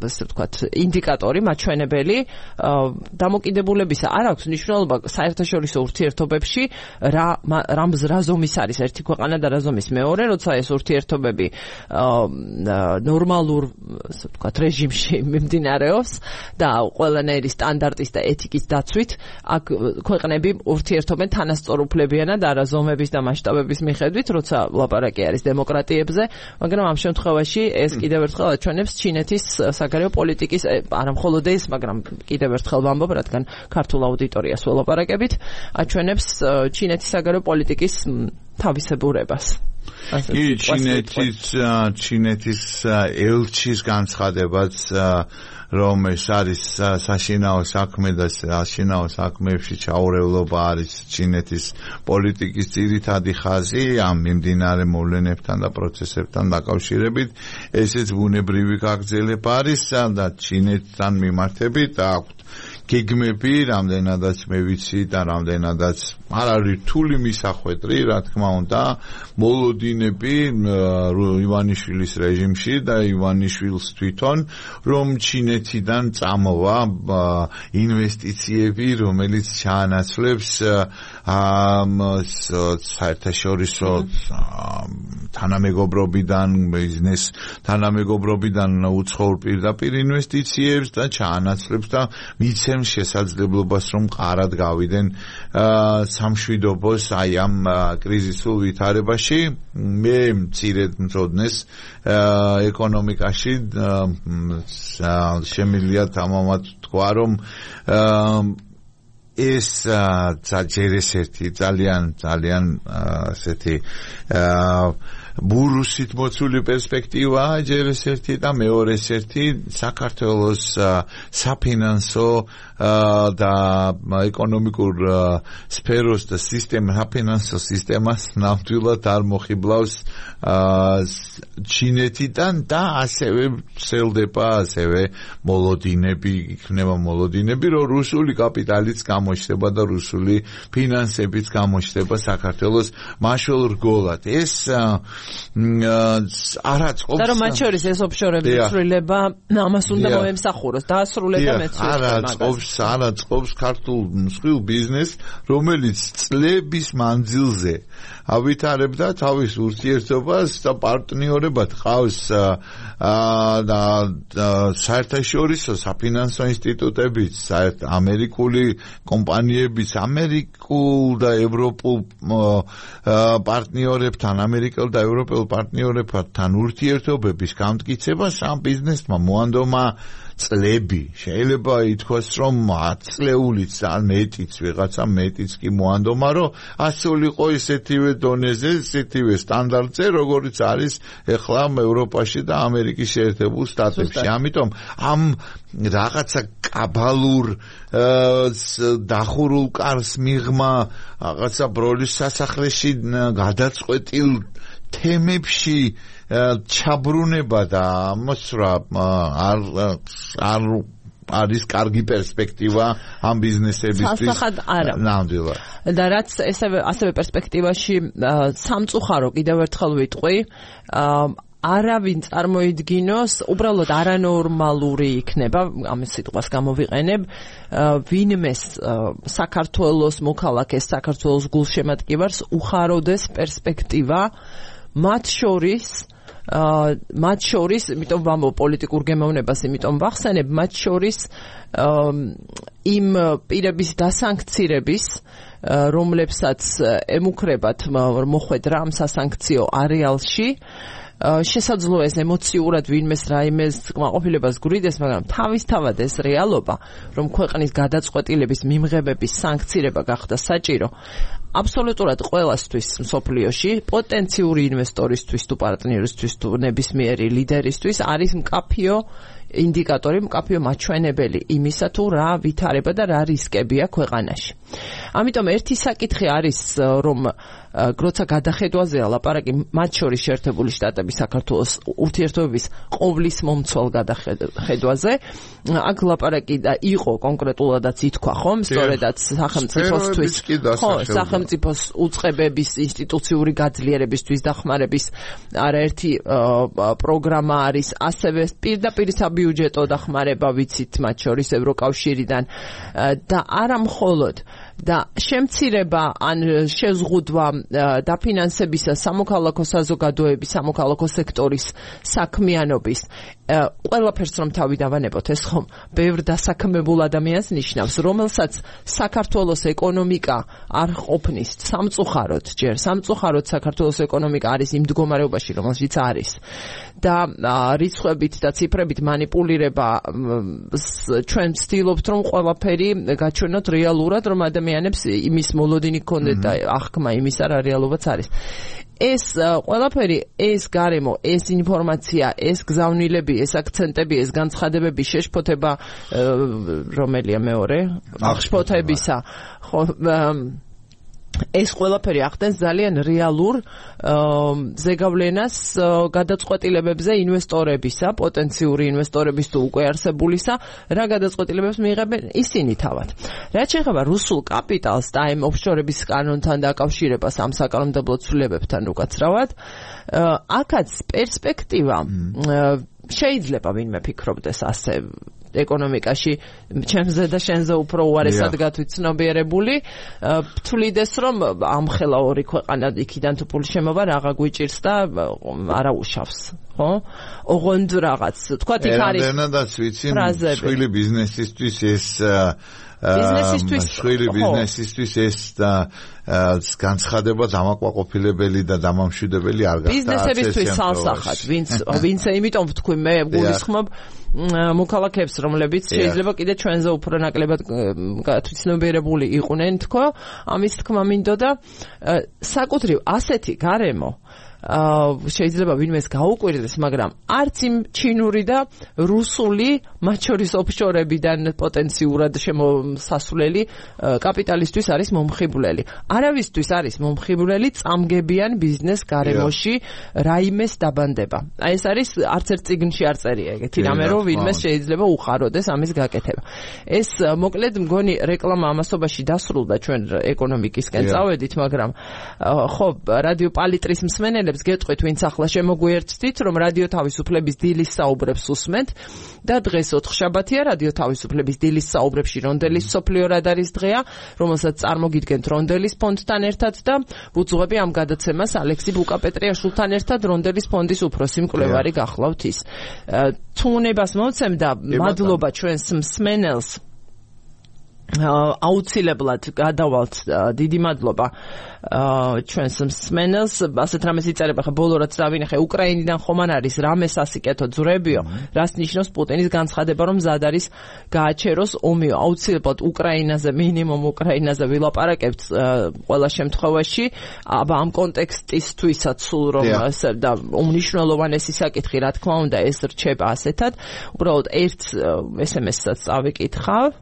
ასე ვთქვათ ინდიკატორი მაჩვენებელი დამოკიდებულებისა არ აქვს მნიშვნელობა საერთაშორისო ურთიერთობებში რა რა ზომის არის ერთი ქვეყანა და რა ზომის მეორე როცა ეს ურთიერთობები ნორმალურ ასე ვთქვათ რეჟიმში მიმდინარეობს და ყველანაირი სტანდარტის და ეთიკის დაცვით აქ ქვეყნები ურთიერთობენ თანასწორუფლებიანად არა ზომების და მასშტაბების მიხედვით როცა ლაპარაკი არის დემოკრატიებზე, მაგრამ ამ შემთხვევაში ეს კიდევ ერთხელ აჩვენებს ჩინეთის საგარეო პოლიტიკის არა მხოლოდ ეს, მაგრამ კიდევ ერთხელ ვამბობ, რადგან ქართულ აუდიტორიას ველაპარაკებით, აჩვენებს ჩინეთის საგარეო პოლიტიკის თავისებურებას. კი, ჩინეთის ჩინეთის ელჩის განცხადებაც რომ ეს არის საშინაო საქმე და საშინაო საქმეებში ჩაურევლობა არის ჩინეთის პოლიტიკის ძირითადი ხაზი ამ მიმდინარე მოვლენებთან და პროცესებთან დაკავშირებით. ესეც ბუნებრივი გაგრძელება არის და ჩინეთთან მიმართებით აქვთ გეგმები, რამდენადაც მე ვიცი და რამდენადაც არ არის რთული მისახვედრი, რა თქმა უნდა, მოლოდინები ივანიშვილის რეჟიმში და ივანიშვილს თვითონ, რომ ჩინეთიდან წამოვა ინვესტიციები, რომელიც ჩაანაცვლებს საერთაშორისო თანამეგობრობიდან, ბიზნეს თანამეგობრობიდან უცხოურ პირდაპირ ინვესტიციებს და ჩაანაცვლებს და მიცემს შესაძლებლობას, რომ ყარად გავიდნენ სამშვიდობოს აი ამ კრიზისულ ვითარებაში. მე მცირედ მწოდნეს ეკონომიკაში შემიძლია თამამად თქვა, რომ ეს ჯერესერთი ძალიან ძალიან ასეთი ბურუსით მოცული პერსპექტივაა ჯერესერთი და მეორესერთი საქართველოს საფინანსო და ეკონომიკურ სფეროს და სისტემა საფინანსო სისტემას ნამდვილად არ მოხიბლავს ჩინეთიდან და ასევე ვრცელდება ასევე მოლოდინები იქნება მოლოდინები რომ რუსული კაპიტალიც გამოჩნდება და რუსული ფინანსებიც გამოჩნდება საქართველოს მაშულ რგოლად ეს არაწყობს და რომ მათ შორის ეს ოფშორების ცვლილება ამას უნდა მოემსახუროს დაასრულება მეცნიერება არაწყობს არაწყობს ქართულ მსხვილ ბიზნესს რომელიც წლების მანძილზე ავითარებდა თავის ურთიერთობას და პარტნიორებად ყავს და საერთაშორისო საფინანსო ინსტიტუტებიც საერთ ამერიკული კომპანიებიც ამერიკულ და ევროპულ პარტნიორებთან ამერიკულ და ევროპელ პარტნიორებთან ურთიერთობების გამტკიცებას ამ ბიზნესმა მოანდომა წლები შეიძლება ითქვას რომ ათწლეულიც ან მეტიც ვიღაცა მეტიც კი მოანდომა რომ ასულიყო ისეთივე დონეზე ისეთივე სტანდარტზე როგორიც არის ეხლა ევროპაში და ამერიკის შეერთებულ შტატებში ამიტომ ამ რაღაცა კაბალურ დახურულ კარს მიღმა რაღაცა ბროლის სასახლეში გადაწყვეტილ თემებში ჩაბრუნება და მოსრა არ არ არის კარგი პერსპექტივა ამ ბიზნესებისთვის. სასახად არა. ნამდვილად. და რაც ესევე ასევე პერსპექტივაში სამწუხარო კიდევ ერთხელ ვიტყვი, არავინ წარმოიდგინოს, უბრალოდ არანორმალური იქნება, ამის სიტყვას გამოვიყენებ, ვინმეს საქართველოს მოქალაქეს, საქართველოს გულშემატკივარს უხაროდეს პერსპექტივა მათ შორის მათ შორის, იმიტომ ვამბობ პოლიტიკურ გემოვნებას, იმიტომ ვახსენებ, მათ შორის იმ პირების დასანქცირების, რომლებსაც ემუქრებათ მოხვედრა ამ სასანქციო არეალში, შესაძლოა ეს ემოციურად ვინმეს რაიმეს კმაყოფილებას გვრიდეს, მაგრამ თავისთავად ეს რეალობა, რომ ქვეყნის გადაწყვეტილების მიმღებების სანქცირება გახდა საჭირო, აბსოლუტურად ყველასთვის მსოფლიოში, პოტენციური ინვესტორისთვის თუ პარტნიორისთვის თუ ნებისმიერი ლიდერისთვის არის მკაფიო ინდიკატორი, მკაფიო მაჩვენებელი იმისა თუ რა ვითარება და რა რისკებია ქვეყანაში. ამიტომ ერთი საკითხი არის, რომ როცა გადახედვაზეა ლაპარაკი მათ შორის შეერთებული შტატები საქართველოს ურთიერთობების ყოვლის მომცვალ გადახედვაზე, აქ ლაპარაკი და იყო კონკრეტულადაც ითქვა, ხომ? სწორედაც სახელმწიფოსთვის, ხო, სახელმწიფოს უწყებების ინსტიტუციური გაძლიერებისთვის დახმარების არაერთი პროგრამა არის, ასევე პირდაპირ საბიუჯეტო დახმარება ვიცით მათ შორის ევროკავშირიდან და არა მხოლოდ და შემცირება ან შეზღუდვა დაფინანსებისა სამოქალაქო საზოგადოების, სამოქალაქო სექტორის საქმიანობის ყველაფერს რომ თავი დავანებოთ, ეს ხომ ბევრ დასაქმებულ ადამიანს ნიშნავს, რომელსაც საქართველოს ეკონომიკა არ ყოფნის სამწუხაროდ, ჯერ სამწუხაროდ საქართველოს ეკონომიკა არის იმ მდგომარეობაში, რომელშიც არის და რიცხვებით და ციფრებით манипуლირება ჩვენ ვცდილობთ რომ ყველაფერი გაჩვენოთ რეალურად, რომ ადამიანებს იმის მოლოდინი გქონდეთ და აღქმა იმის არა რეალობაც არის. ეს ყველაფერი, ეს გარემო, ეს ინფორმაცია, ეს გზავნილები, ეს აქცენტები, ეს განცხადებები შეშფოთება რომელია მეორე? აღშფოთებისა. ხო, ეს ყველაფერი ახდენს ძალიან რეალურ ზეგავლენას გადაწყვეტილებებზე ინვესტორებისა, პოტენციური ინვესტორების თუ უკვე არსებულისა, რა გადაწყვეტილებებს მიიღებენ ისინი თავად. რაც შეეხება რუსულ კაპიტალს და ამ ოფშორების კანონთან დაკავშირებას ამ საკანონმდებლო ცვლილებებთან უკაცრავად, აქაც პერსპექტივა შეიძლება ვინმე ფიქრობდეს ასე ეკონომიკაში ჩემზე და შენზე უფრო უარესად გათვითცნობიერებული, თვლიდეს რომ ამხელა ორი ქვეყანა იქიდან თუ პული შემოვა რაღა გვიჭირს და არა უშავს, ხო? ოღონდ რაღაც, თქვათ იქ არის ერანდანადაც ვიცი, მსხვილი ბიზნესისთვის ეს ბიზნესისთვის მსხვილი ბიზნესისთვის ეს და განცხადება დამაკმაყოფილებელი და დამამშვიდებელი არ გახდა. ბიზნესებისთვის სალსახად, ვინც ვინც იმიტომ ვთქვი მე გულისხმობ მოქალაქეებს, რომლებიც შეიძლება კიდე ჩვენზე უფრო ნაკლებად გათვითცნობიერებული იყვნენ, თქო, ამის თქმა მინდოდა საკუთრივ ასეთი გარემო შეიძლება ვინმეს გაუკვირდეს, მაგრამ არც იმ ჩინური და რუსული მათ შორის ოფშორებიდან პოტენციურად შემოსასვლელი კაპიტალისტვის არის მომხიბვლელი. არავისთვის არის მომხიბვლელი წამგებიან ბიზნეს გარემოში რაიმეს დაბანდება. აი ეს არის არც ერთ წიგნში არ წერია ეგეთი რამე, რომ ვინმეს შეიძლება უყაროდეს ამის გაკეთება. ეს მოკლედ მგონი რეკლამა ამასობაში დასრულდა, ჩვენ ეკონომიკისკენ წავედით, მაგრამ ხო, რადიო პალიტრის მსმენელებს გეტყვით, ვინც ახლა შემოგვიერთდით, რომ რადიო თავისუფლების დილის საუბრებს უსმენთ და დღეს ოთხშაბათია, რადიო თავისუფლების დილის საუბრებში რონდელის სოფლიო რადარის დღეა, რომელსაც წარმოგიდგენთ რონდელის ფონდთან ერთად და ვუძღვები ამ გადაცემას ალექსი ბუკაპეტრიაშვილთან ერთად, რონდელის ფონდის უფროსი მკვლევარი გახლავთ ის. თუ უნებას მოვცემ და მადლობა ჩვენს მსმენელს, აუცილებლად გადავალთ, დიდი მადლობა ჩვენს მსმენელს, ასეთ რამეს იწერება, ხა ბოლო რაც დავინახე, უკრაინიდან ხომ არ არის რამე სასიკეთო ძვრებიო, რას ნიშნავს პუტინის განცხადება, რომ მზად არის გააჩეროს ომიო, აუცილებლად უკრაინაზე, მინიმუმ უკრაინაზე ვილაპარაკებთ ყველა შემთხვევაში, აბა ამ კონტექსტისთვისაც სულ რომ და უმნიშვნელოვანესი საკითხი, რა თქმა უნდა, ეს რჩება ასეთად, უბრალოდ ერთ ეს ემ ესაც წავიკითხავ.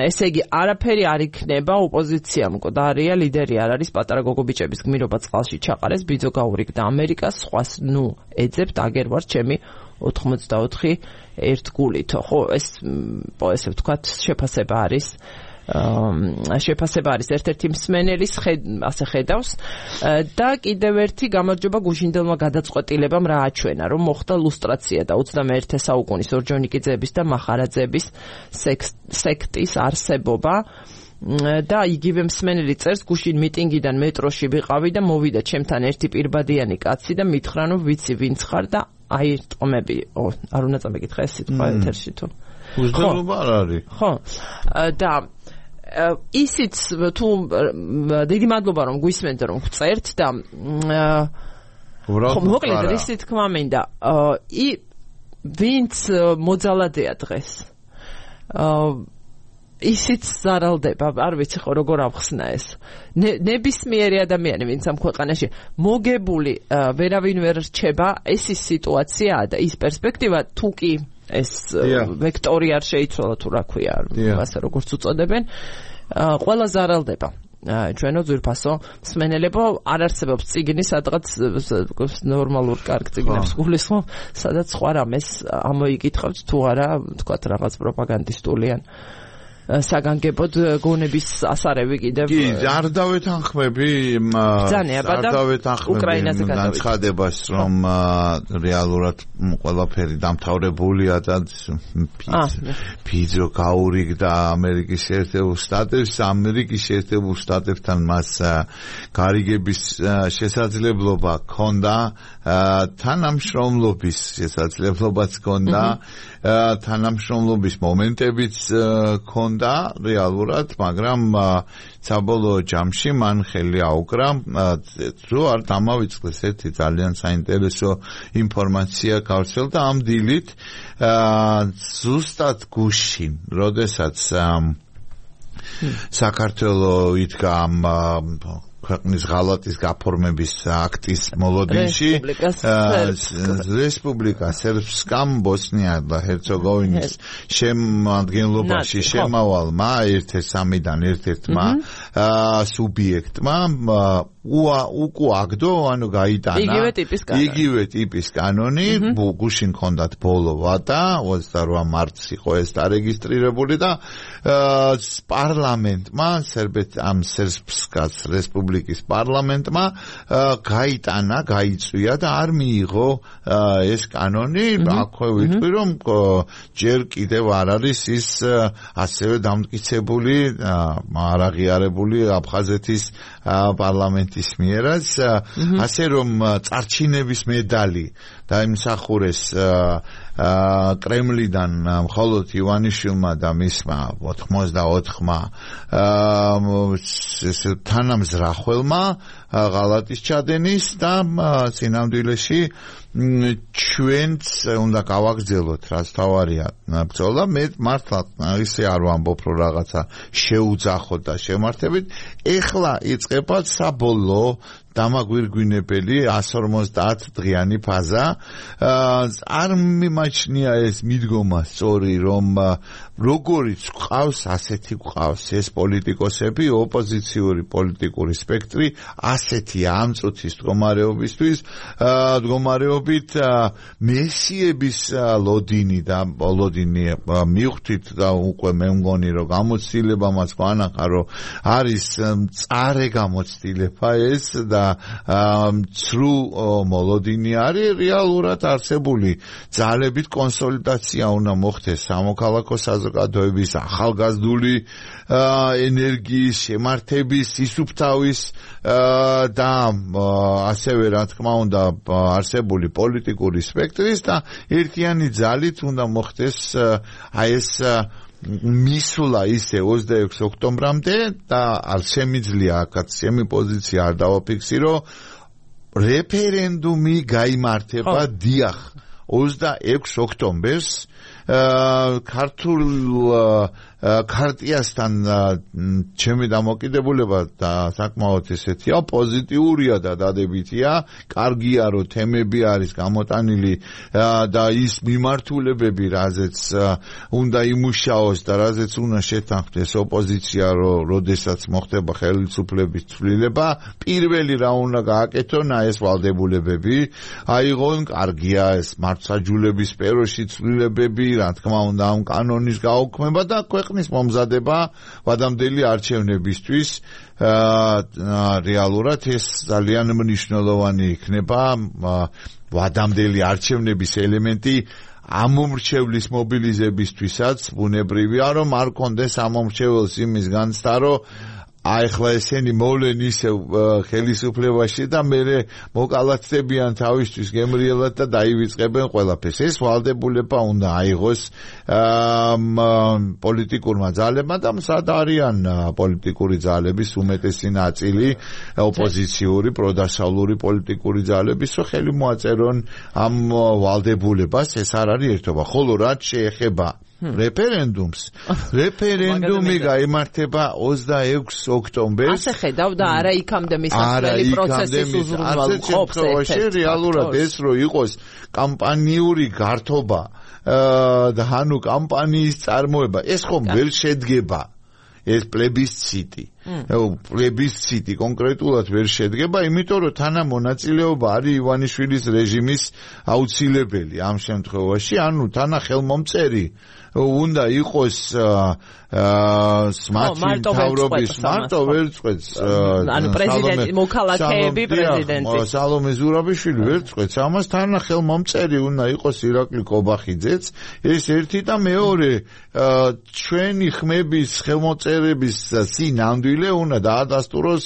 ესე იგი არაფერი არ იქნება, ოპოზიცია მკვდარია, ლიდერი არ არის, პატარა გოგობიჭების გმირობა წყალში ჩაყარეს, ბიძო გაურიგდა ამერიკას, სხვას ნუ ეძებთ, აგერ ვარ ჩემი ოთხმოცდაოთხი ერთ გულითო. ხო, ეს ესე ვთქვათ, შეფასება არის შეფასება არის ერთ-ერთი მსმენელის ასე ხედავს და კიდევ ერთი გამარჯობა გუშინდელმა გადაწყვეტილებამ რა აჩვენა, რომ მოხდა ლუსტრაცია და ოცდამეერთე საუკუნის ორჯონიკიძეების და მახარაძეების სექტის არსებობა და იგივე მსმენელი წერს, გუშინ მიტინგიდან მეტროში ვიყავი და მოვიდა ჩემთან ერთი პირბადიანი კაცი და მითხრა, რომ ვიცი ვინც ხარ და აი ტომები, არ უნდა წამეკითხა ეს სიტყვა ეთერში თუ უზრუნველობა არ არის. ხო. და ისიც თუ დიდი მადლობა რომ გვისმენთ რომ გწერთ და ხო მოკლედ რისი თქმა მინდა ი ვინც მოძალადეა დღეს ისიც ზარალდება, არ ვიცი ხო როგორ ავხსნა ეს. ნებისმიერი ადამიანი, ვინც ამ ქვეყანაში მოგებული ვერავინ ვერ რჩება, ეს ის სიტუაციაა და ის პერსპექტივა თუ კი ეს ვექტორი არ შეიცვალა თუ რა ქვია, ასე როგორც უწოდებენ, ყველა ზარალდება. ჩვენო ძვირფასო მსმენელებო არ არსებობს წიგნი სადღაც ნორმალურ კარგ წიგნებს გულისხმობ სადაც სხვა რამეს ამოიკითხავთ თუ არა თქვათ რაღაც პროპაგანდისტულიან საგანგებოდ გონების ასარევი კიდევ კი არ დავეთანხმები არ დავეთანხმები განცხადებას რომ რეალურად ყველაფერი დამთავრებულია და ფიძო გაურიგდა ამერიკის შეერთებულ შტატებს ამერიკის შეერთებულ შტატებთან მას გარიგების შესაძლებლობა ჰქონდა თანამშრომლობის შესაძლებლობაც ჰქონდა თანამშრომლობის მომენტებიც ჰქონდა რეალურად, მაგრამ საბოლოო ჯამში მან ხელი აუკრა, რომ არ დამავიწყდეს ერთი ძალიან საინტერესო ინფორმაცია გავრცელდა ამ დილით ზუსტად გუშინ, როდესაც საქართველოს იდგა ქვეყნის ღალატის გაფორმების აქტის მოლოდინში რესპუბლიკა სერბსკამ ბოსნია და ჰერცეგოვინის შემადგენლობაში შემავალმა ერთ-ერთ სამიდან ერთ-ერთმა სუბიექტმა უკუაგდო ანუ გაიტანა იგივე ტიპის კანონი იგივე ტიპის კანონი გუშინ ჰქონდათ ბოლო ვადა ოცდაორ მარტს იყო ეს დარეგისტრირებული და პარლამენტმა სერბეთ ამ სერბსკას რესპუბლიკის პარლამენტმა გაიტანა გაიწვია და არ მიიღო ეს კანონი აქვე ვიტყვი რომ ჯერ კიდევ არ არის ის ასევე დამტკიცებული არაღიარებული აფხაზეთის პარლამენტის მიერაც ასე რომ წარჩინების медаლი დაიმსახურეს კრემლიდან მხოლოდ ივანიშვილმა და მისმა ოთხმოცდაოთხმა თანამზრახველმა ღალატის ჩადენის და სინამდვილეში ჩვენც უნდა გავაგრძელოთ რაც თავარია ბრძოლა მე მართლა ისე არ ვამბობ რომ რაღაცა შეუძახოთ და შემართებით ეხლა იწყება საბოლოო დამაგვირგვინებელი εκατს ორმოცდაათ დღიანი ფაზა არ მიმაჩნია ეს მიდგომა სწორი რომ როგორიც ყავს ასეთი ყავს ეს პოლიტიკოსები ოპოზიციური პოლიტიკური სპექტრი ასეთი ამ წუთის მდგომარეობისთვის მდგომარეობით მესიების ლოდინი და ლოდინი მივხვდით და უკვე მე მგონი რომ გამოცდილება მას გვანახა რომ არის წარე გამოცდილება ეს და ცრუ მოლოდინი არის რეალურად არსებული ძალებით კონსოლიდაცია უნდა მოხდეს სამოქალაქო საზოგადოების ახალგაზრდული ენერგიის შემართების ისუფთავის და ასევე რა თქმა უნდა არსებული პოლიტიკური სპექტრის და ერთიანი ძალით უნდა მოხდეს აი ეს მისვლა ისე ოცდაექვსი ოქტომბრამდე და არ შემიძლია აქაც ჩემი პოზიცია არ დავაფიქსირო რეფერენდუმი გაიმართება დიახ ოცდაექვსი ოქტომბერს ქართულ ქარტიასთან ჩემი დამოკიდებულება და საკმაოდ ესეთია პოზიტიურია და დადებითია კარგია რომ თემები არის გამოტანილი და ის მიმართულებები რაზეც უნდა იმუშაოს და რაზეც უნდა შეთანხმდეს ოპოზიცია რომ როდესაც მოხდება ხელისუფლების ცვლილება პირველი რა უნდა გააკეთონ ეს ვალდებულებები აიღონ კარგია ეს მართლმსაჯულების სფეროში ცვლილებები რა თქმა უნდა ამ კანონის გაუქმება და ქვეყნის მომზადება ვადამდელი არჩევნებისთვის რეალურად ეს ძალიან მნიშვნელოვანი იქნება ვადამდელი არჩევნების ელემენტი ამომრჩევლის მობილიზებისთვისაც ბუნებრივია რომ არ კონდეს ამომრჩეველს იმის განცდა რომ აიხლა ესენი მოვლენ ისევ ხელისუფლებაში და მერე მოკალათდებიან თავისთვის გემრიელად და დაივიწყებენ ყველაფერს. ეს ვალდებულება უნდა აიღოს პოლიტიკურმა ძალებმა და მსად არიან პოლიტიკური ძალების უმეტესი ნაწილი ოპოზიციური, პროდასავლური პოლიტიკური ძალების, რომ ხელი მოაწერონ ამ ვალდებულებას, ეს არ არის ერთობა. ხოლო რაც შეეხება რეფერენდუმს. რეფერენდუმი გაიმართება ოცდაექვსი ოქტომბერს. ასე ხედავ და არა იქამდე მისასვლელი პროცესის უზრუნველყოფს ერთ-ერთ რეალურად ეს რო იყოს კამპანიური გართობა და ანუ კამპანიის წარმოება ეს ხომ ვერ შედგება ეს პლებისციტი პლებისციტი კონკრეტულად ვერ შედგება იმიტომ რომ თანამონაწილეობა არის ივანიშვილის რეჟიმის აუცილებელი ამ შემთხვევაში ანუ თანა ხელმომწერი უნდა იყოს მათი მთავრობის მარტო ვერ წყვეტს ანუ პრეზიდენტი მოქალაქეები პრეზიდენტის სალომე ზურაბიშვილი ვერ წყვეტს ამას თანა ხელმომწერი უნდა იყოს ირაკლი კობახიძეც ეს ერთი და მეორე ჩვენი ხმების ხელმოწერების სინამდვილე უნდა დაადასტუროს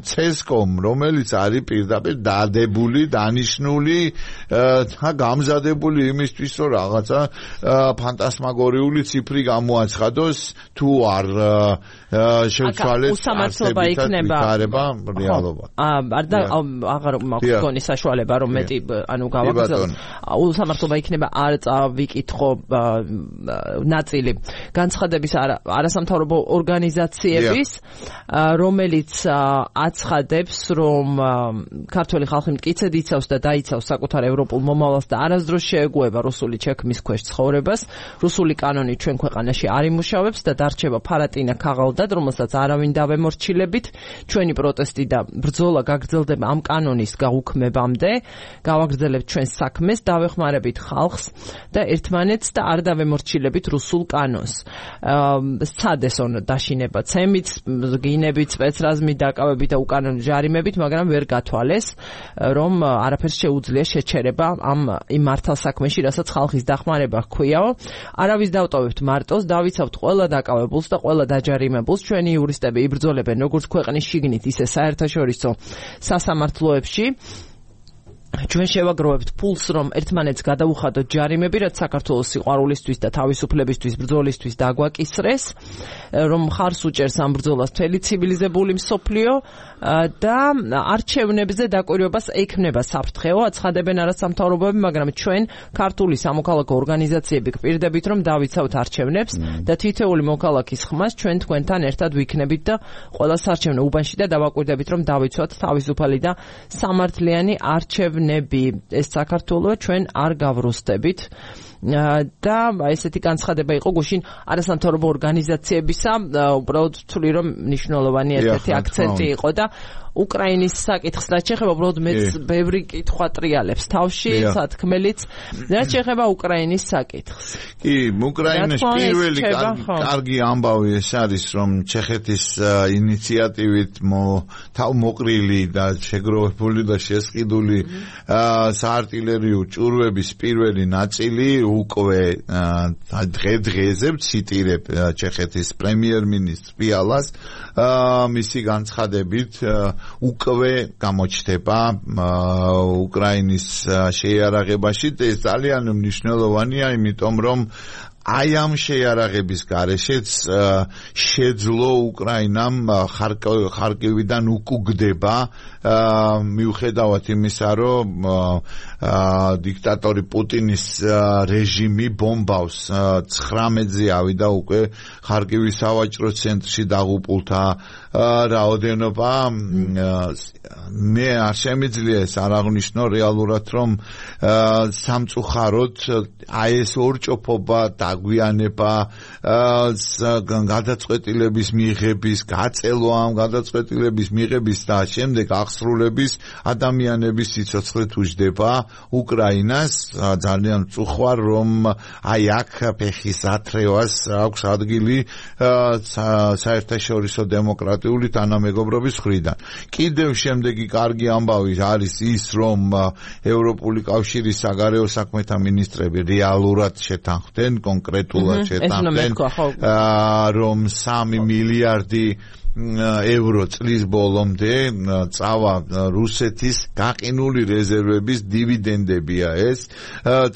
ცესკომ რომელიც არის პირდაპირ დადებული დანიშნული და გამზადებული იმისთვის რომ რაღაცა ფანტასმაგორიული ციფრი გამოაცხადოს თუ არ შევცვალეთ უსამართლობა იქნება რეალობა. არ და აღარ მაქვს გონი საშუალება რომ მეტი ანუ გავაგრძელოთ. უსამართლობა იქნება არ წავიკითხო ნაწილი განცხადების არასამთავრობო ორგანიზაციების რომელიც აცხადებს რომ ქართველი ხალხი მტკიცედ იცავს და დაიცავს საკუთარ ევროპულ მომავალს და არასდროს შეეგუება რუსული ჩექმის ქვეშ ცხოვრებას. რუსული კანონი ჩვენ ქვეყანაში არ იმუშავებს და დარჩება ფარატინა ქაღალდად, რომელსაც არავინ დავემორჩილებით. ჩვენი პროტესტი და ბრძოლა გაგრძელდება ამ კანონის გაუქმებამდე. გავაგრძელებთ ჩვენს საქმეს, დავეხმარებით ხალხს და ერთმანეთს და არ დავემორჩილებით რუსულ კანონს. სცადესონ დაშინება ცემით, გინებით, სპეცრაზმით, დაკავებით და უკანონო ჯარიმებით, მაგრამ ვერ გათვალეს, რომ არაფერს შეუძლია შეჩერება ამ იმ მართალსაქმეში, რასაც ხალხის დახმარება ჰქვიაო. არავის დავტოვებთ მარტოს, დავიცავთ ყველა დაკავებულს და ყველა დაჯარიმებულს. ჩვენი იურისტები იბრძოლებენ როგორც ქვეყნის შიგნით, ისე საერთაშორისო სასამართლოებში. ჩვენ შევაგროვებთ ფულს, რომ ერთმანეთს გადავუხადოთ ჯარიმები, რაც საქართველოს სიყვარულისთვის და თავისუფლებისთვის ბრძოლისთვის დაგვაკისრეს, რომ ხარს უჭერს ამ ბრძოლას მთელი ცივილიზებული მსოფლიო და არჩევნებზე დაკვირვებას ექნება საფრთხეო, აცხადებენ არასამთავრობოები, მაგრამ ჩვენ ქართული სამოქალაქო ორგანიზაციები გვპირდებით, რომ დავიცავთ არჩევნებს და თითოეული მოქალაქის ხმას ჩვენ თქვენთან ერთად ვიქნებით და ყველა საარჩევნო უბანში და დავაკვირდებით, რომ დავიცვათ თავისუფალი და სამართლიანი არჩევნები. ეს საქართველოა ჩვენ არ გავროსდებით და ესეთი განცხადება იყო გუშინ არასამთავრობო ორგანიზაციებისა უბრალოდ ვთვლი რომ მნიშვნელოვანი ერთ-ერთი აქცენტი იყო და უკრაინის საკითხს რაც შეეხება უბრალოდ მეც ბევრი კითხვა ტრიალებს თავში სათქმელიც რაც შეეხება უკრაინის საკითხს კი უკრაინის პირველი კარგი ამბავი ეს არის რომ ჩეხეთის ინიციატივით თავმოყრილი და შეგროვებული და შესყიდული საარტილერიო ჭურვების პირველი ნაწილი უკვე დღე-დღეზე ვციტირებ ჩეხეთის პრემიერ-მინისტრ პიალას მისი განცხადებით უკვე გამოჩნდება უკრაინის შეიარაღებაში და ეს ძალიან მნიშვნელოვანია იმიტომ რომ აი ამ შეიარაღების გარეშეც შეძლო უკრაინამ ხარკივიდან უკუგდება მიუხედავად იმისა რომ დიქტატორი პუტინის რეჟიმი ბომბავს ცხრამეტზე ავიდა უკვე ხარკივის სავაჭრო ცენტრში დაღუპულთა რაოდენობა მე არ შემიძლია ეს არ აღნიშნო რეალურად რომ სამწუხაროდ აი ეს ორჭოფობა დაგვიანება გადაწყვეტილების მიღების გაწელვა ამ გადაწყვეტილების მიღების და შემდეგ აღსრულების ადამიანების სიცოცხლე თუჯდება უკრაინას ძალიან წუხوار რომ აი აქ ფეხის ათრევას აქვს ადგილი საერთაშორისო დემოკრატიული თანამეგობრობის მხრიდან კიდევ შემდეგი კარგი ამბავი არის ის რომ ევროპული კავშირის საგარეო საქმეთა მინისტრები რეალურად შეთანხმდნენ კონკრეტულად შეთანხმდნენ რომ სამი მილიარდი ევრო წლის ბოლომდე წავა რუსეთის გაყინული რეზერვების დივიდენდებია ეს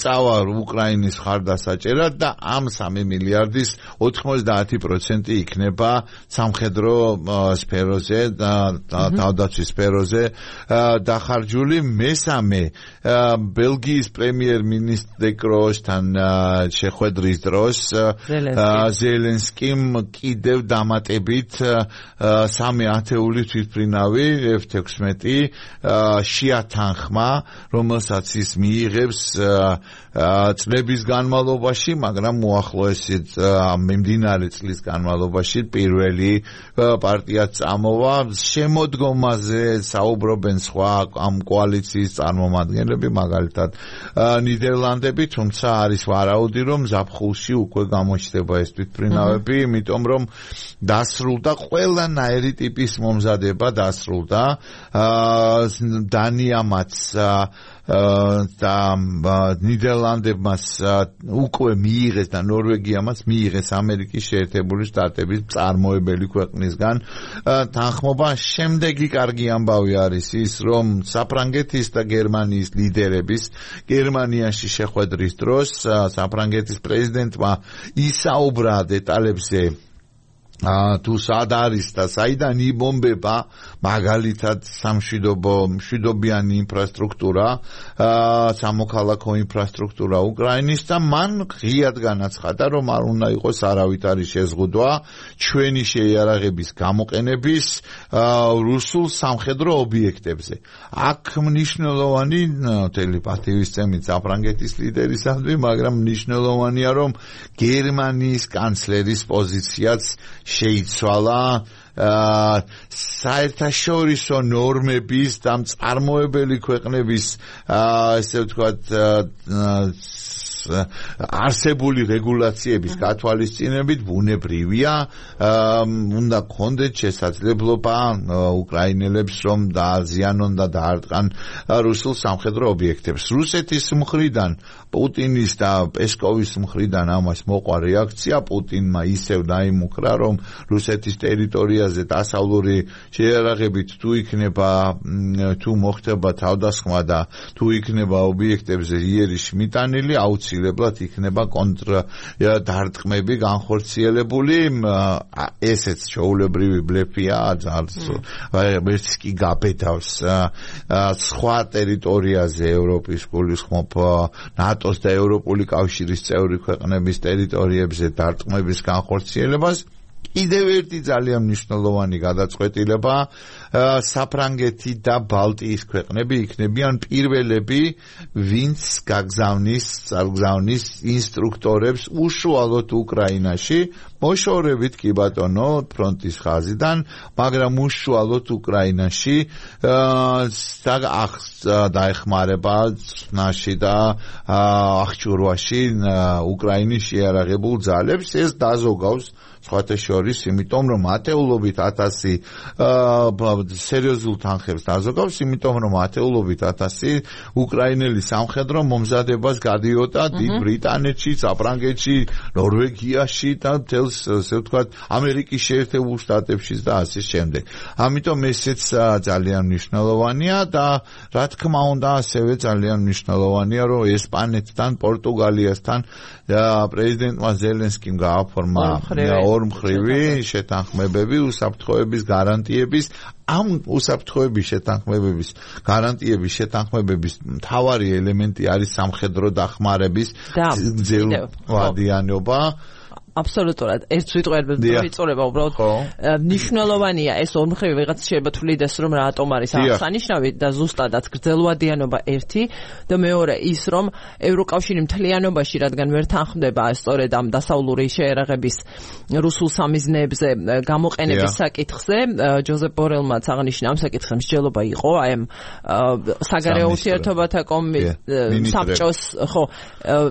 წავა უკრაინის ხარდასაჭერად და ამ სამი მილიარდის ოთხმოცდაათი პროცენტი იქნება სამხედრო სფეროზე და თავდაცვის სფეროზე დახარჯული. მესამე ბელგიის პრემიერ-მინისტრ კროოსთან შეხვედრის დროს ზელენსკიმ კიდევ დამატებით სამი ათეული თვითმფრინავი ეფ თექვსმეტი შეათანხმა, რომელსაც ის მიიღებს წლების განმავლობაში, მაგრამ უახლოესი მიმდინარე წლის განმავლობაში პირველი პარტია წამოვა. შემოდგომაზე საუბრობენ სხვა ამ კოალიციის წარმომადგენლები, მაგალითად ნიდერლანდები, თუმცა არის ვარაუდი, რომ ზაფხულში უკვე გამოჩნდება ეს თვითმფრინავები, იმიტომ რომ დასრულდა ყველანაირი ტიპის მომზადება დასრულდა. დანიამაც და ნიდერლანდებმაც უკვე მიიღეს და ნორვეგიამაც მიიღეს ამერიკის შეერთებული შტატების წარმოებელი ქვეყნისგან თანხმობა. შემდეგი კარგი ამბავი არის ის, რომ საფრანგეთის და გერმანიის ლიდერების გერმანიაში შეხვედრის დროს საფრანგეთის პრეზიდენტმა ისაუბრა დეტალებზე, თუ სად არის და საიდან იბომბება მაგალითად სამშვიდობო მშვიდობიანი ინფრასტრუქტურა, სამოქალაქო ინფრასტრუქტურა უკრაინის და მან ღიად განაცხადა, რომ არ უნდა იყოს არავითარი შეზღუდვა ჩვენი შეიარაღების გამოყენების რუსულ სამხედრო ობიექტებზე. აქ მნიშვნელოვანი ტელეპათივის საფრანგეთის ლიდერისადმი, მაგრამ მნიშვნელოვანია, რომ გერმანიის კანცლერის პოზიციაც შეიცვალა საერთაშორისო ნორმების და მწარმოებელი ქვეყნების ესე ვთქვათ არსებული რეგულაციების გათვალისწინებით ბუნებრივია, უნდა გქონდეთ შესაძლებლობა უკრაინელებს რომ დააზიანონ და დაარტყან რუსულ სამხედრო ობიექტებს. რუსეთის მხრიდან პუტინის და პესკოვის მხრიდან ამას მოყვა რეაქცია. პუტინმა ისევ დაიმუქრა, რომ რუსეთის ტერიტორიაზე დასავლური შეიარაღებით თუ იქნება თუ მოხდება თავდასხმა და თუ იქნება ობიექტებზე იერიშ მიტანილი, აუცილებლად იქნება კონტრ დარტყმები განხორციელებული. ესეც ჩვეულებრივი ბლეფია, ვერც კი გაბედავს სხვა ტერიტორიაზე ევროპის გულისხმობ ნატოს და ევროპული კავშირის წევრი ქვეყნების ტერიტორიებზე დარტყმების განხორციელებას. კიდევ ერთი ძალიან მნიშვნელოვანი გადაწყვეტილება, საფრანგეთი და ბალტიის ქვეყნები იქნებიან პირველები, ვინც გაგზავნის, წარგზავნის ინსტრუქტორებს უშუალოდ უკრაინაში, მოშორებით კი ბატონო ფრონტის ხაზიდან, მაგრამ უშუალოდ უკრაინაში დაეხმარება წნაში და აღჭურვაში უკრაინის შეიარაღებულ ძალებს. ეს დაზოგავს სხვათა შორის, იმიტომ რომ ათეულობით ათასი სერიოზულ თანხებს დაზოგავს, იმიტომ რომ ათეულობით ათასი უკრაინელი სამხედრო მომზადებას გადიოდა დიდ ბრიტანეთში, საფრანგეთში, ნორვეგიაში და მთელს, ასე ვთქვათ, ამერიკის შეერთებულ შტატებში და ასე შემდეგ. ამიტომ ესეც ძალიან მნიშვნელოვანია და რა თქმა უნდა, ასევე ძალიან მნიშვნელოვანია, რომ ესპანეთთან, პორტუგალიასთან პრეზიდენტმა ზელენსკიმ გააფორმა ორმხრივი შეთანხმებები უსაფრთხოების გარანტიების. ამ უსაფრთხოების შეთანხმებების გარანტიების შეთანხმებების მთავარი ელემენტი არის სამხედრო დახმარების ძელვადიანობა. აბსოლუტურად ერთ სიტყვით ვიწურება უბრალოდ მნიშვნელოვანია ეს ორმხრივი ვიღაც შეიძლება თვლიდეს რომ რატომ არის აღსანიშნავი და ზუსტადაც გრძელვადიანობა ერთი და მეორე ის რომ ევროკავშირი მთლიანობაში რადგან ვერ თანხმდება სწორედ ამ დასავლური შეიარაღების რუსულ სამიზნეებზე გამოყენების საკითხზე ჯოზეფ ბორელმაც აღნიშნა ამ საკითხზე მსჯელობა იყო აი ამ საგარეო ურთიერთობათა საბჭოს ხო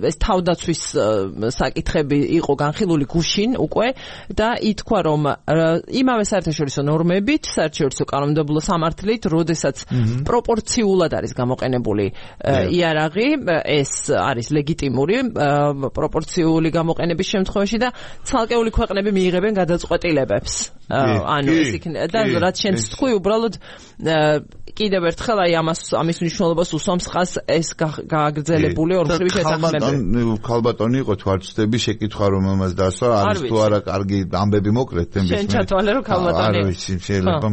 ეს თავდაცვის საკითხები იყო განხილული გუშინ უკვე და ითქვა რომ იმავე საერთაშორისო ნორმებით, საერთაშორისო კანონმდებლო სამართლით, როდესაც პროპორციულად არის გამოყენებული იარაღი, ეს არის ლეგიტიმური პროპორციული გამოყენების შემთხვევაში და ცალკეული ქვეყნები მიიღებენ გადაწყვეტილებებს ანუ ეს იქნება და რაც შენც თქვი უბრალოდ კიდევ ერთხელ აი ამას ამის მნიშვნელობას უსვამს ხას ეს გააგრძელებული ორმხრივი შეთანხმებები. ქალბატონი იყო თვალწდები შეკითხვა რომ ამას დასვა არის თუ არა კარგი ამბები მოკლედ თემის შენ ჩათვალე რომ ქალბატონი არ ვიცი შეიძლება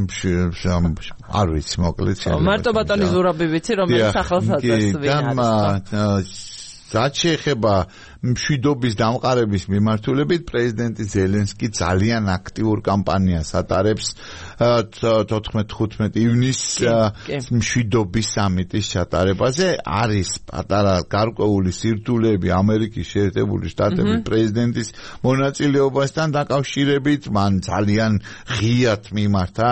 არ ვიცი მოკლედ შეიძლება მარტო ბატონი ზურაბი ვიცი რომელიც ახალსაწყის ვინ არის რაც შეეხება მშვიდობის დამყარების მიმართულებით პრეზიდენტი ზელენსკი ძალიან აქტიურ კამპანიას ატარებს თოთხმეტ-ხუთმეტ ივნისს მშვიდობის სამიტის ჩატარებაზე არის პატარა გარკვეული სირთულეები ამერიკის შეერთებული შტატების პრეზიდენტის მონაწილეობასთან დაკავშირებით მან ძალიან ღიად მიმართა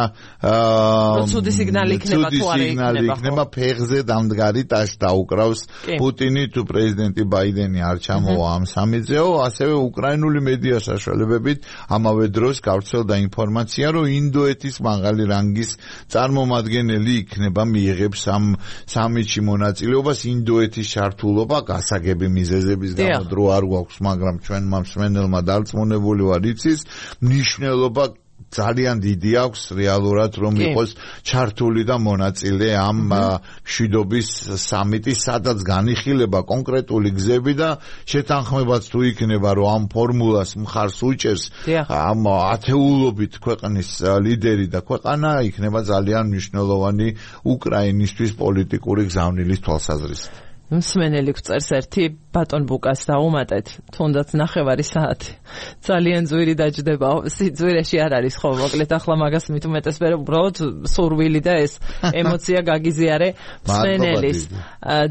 ცუდი სიგნალი იქნება თუ არა იქნება ფეხზე დამდგარი ტაშ დაუკრავს პუტინი თუ პრეზიდენტი ბაიდენი არ ჩამო ამ სამიზეო, ასევე უკრაინული მედია საშუალებებით ამავე დროს გავრცელდა ინფორმაცია, რომ ინდოეთის მაღალი რანგის წარმომადგენელი იქნება მიიღებს ამ სამიტში მონაწილეობას ინდოეთის ჩართულობა გასაგები მიზეზების გამო დრო არ გვაქვს, მაგრამ ჩვენმა მსმენელმა დარწმუნებული ვარ იცის მნიშვნელობა ძალიან დიდი აქვს რეალურად რომ იყოს ჩართული და მონაწილე ამ მშვიდობის სამიტის სადაც განიხილება კონკრეტული გზები და შეთანხმებაც თუ იქნება რომ ამ ფორმულას მხარს უჭერს ამ ათეულობით ქვეყნის ლიდერი და ქვეყანა იქნება ძალიან მნიშვნელოვანი უკრაინისთვის პოლიტიკური გზავნილის თვალსაზრისით. მსმენელი გვწერს ერთი ბატონ ბუკას დაუმატეთ, თუნდაც ნახევარი საათი. ძალიან ძვირი დაჯდება, სიძვირეში არ არის ხო, მოკლედ ახლა მაგას მით უმეტეს მე უბრალოდ სურვილი და ეს ემოცია გაგიზიარე მსმენელის.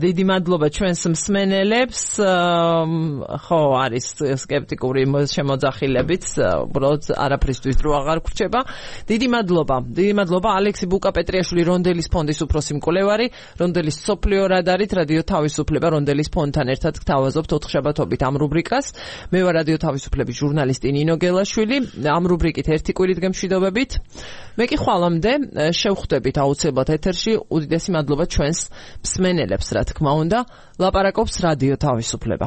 დიდი მადლობა ჩვენს მსმენელებს. ხო, არის სკეპტიკური შემოძახილებიც, უბრალოდ არაფრისთვის დრო აღარ გრჩება. დიდი მადლობა. დიდი მადლობა ალექსი ბუკა პეტრიაშვილი რონდელის ფონდის უფროსი მკვლევარი, რონდელის სოფლიო რადარით რადიო თავისუფლება რონდელის ფონდთან ერთად გთავაზობთ ოთხშაბათობით ამ რუბრიკას. მე ვარ რადიო თავისუფლების ჟურნალისტი ნინო გელაშვილი. ამ რუბრიკით ერთი კვირით გემშვიდობებით. მე კი ხვალამდე შევხვდებით აუცილებლად ეთერში. უდიდესი მადლობა ჩვენს მსმენელებს, რა თქმა უნდა. ლაპარაკობს რადიო თავისუფლება.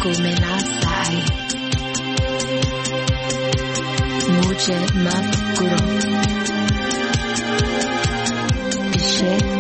come la sai. Mujhe mat karo. Ishe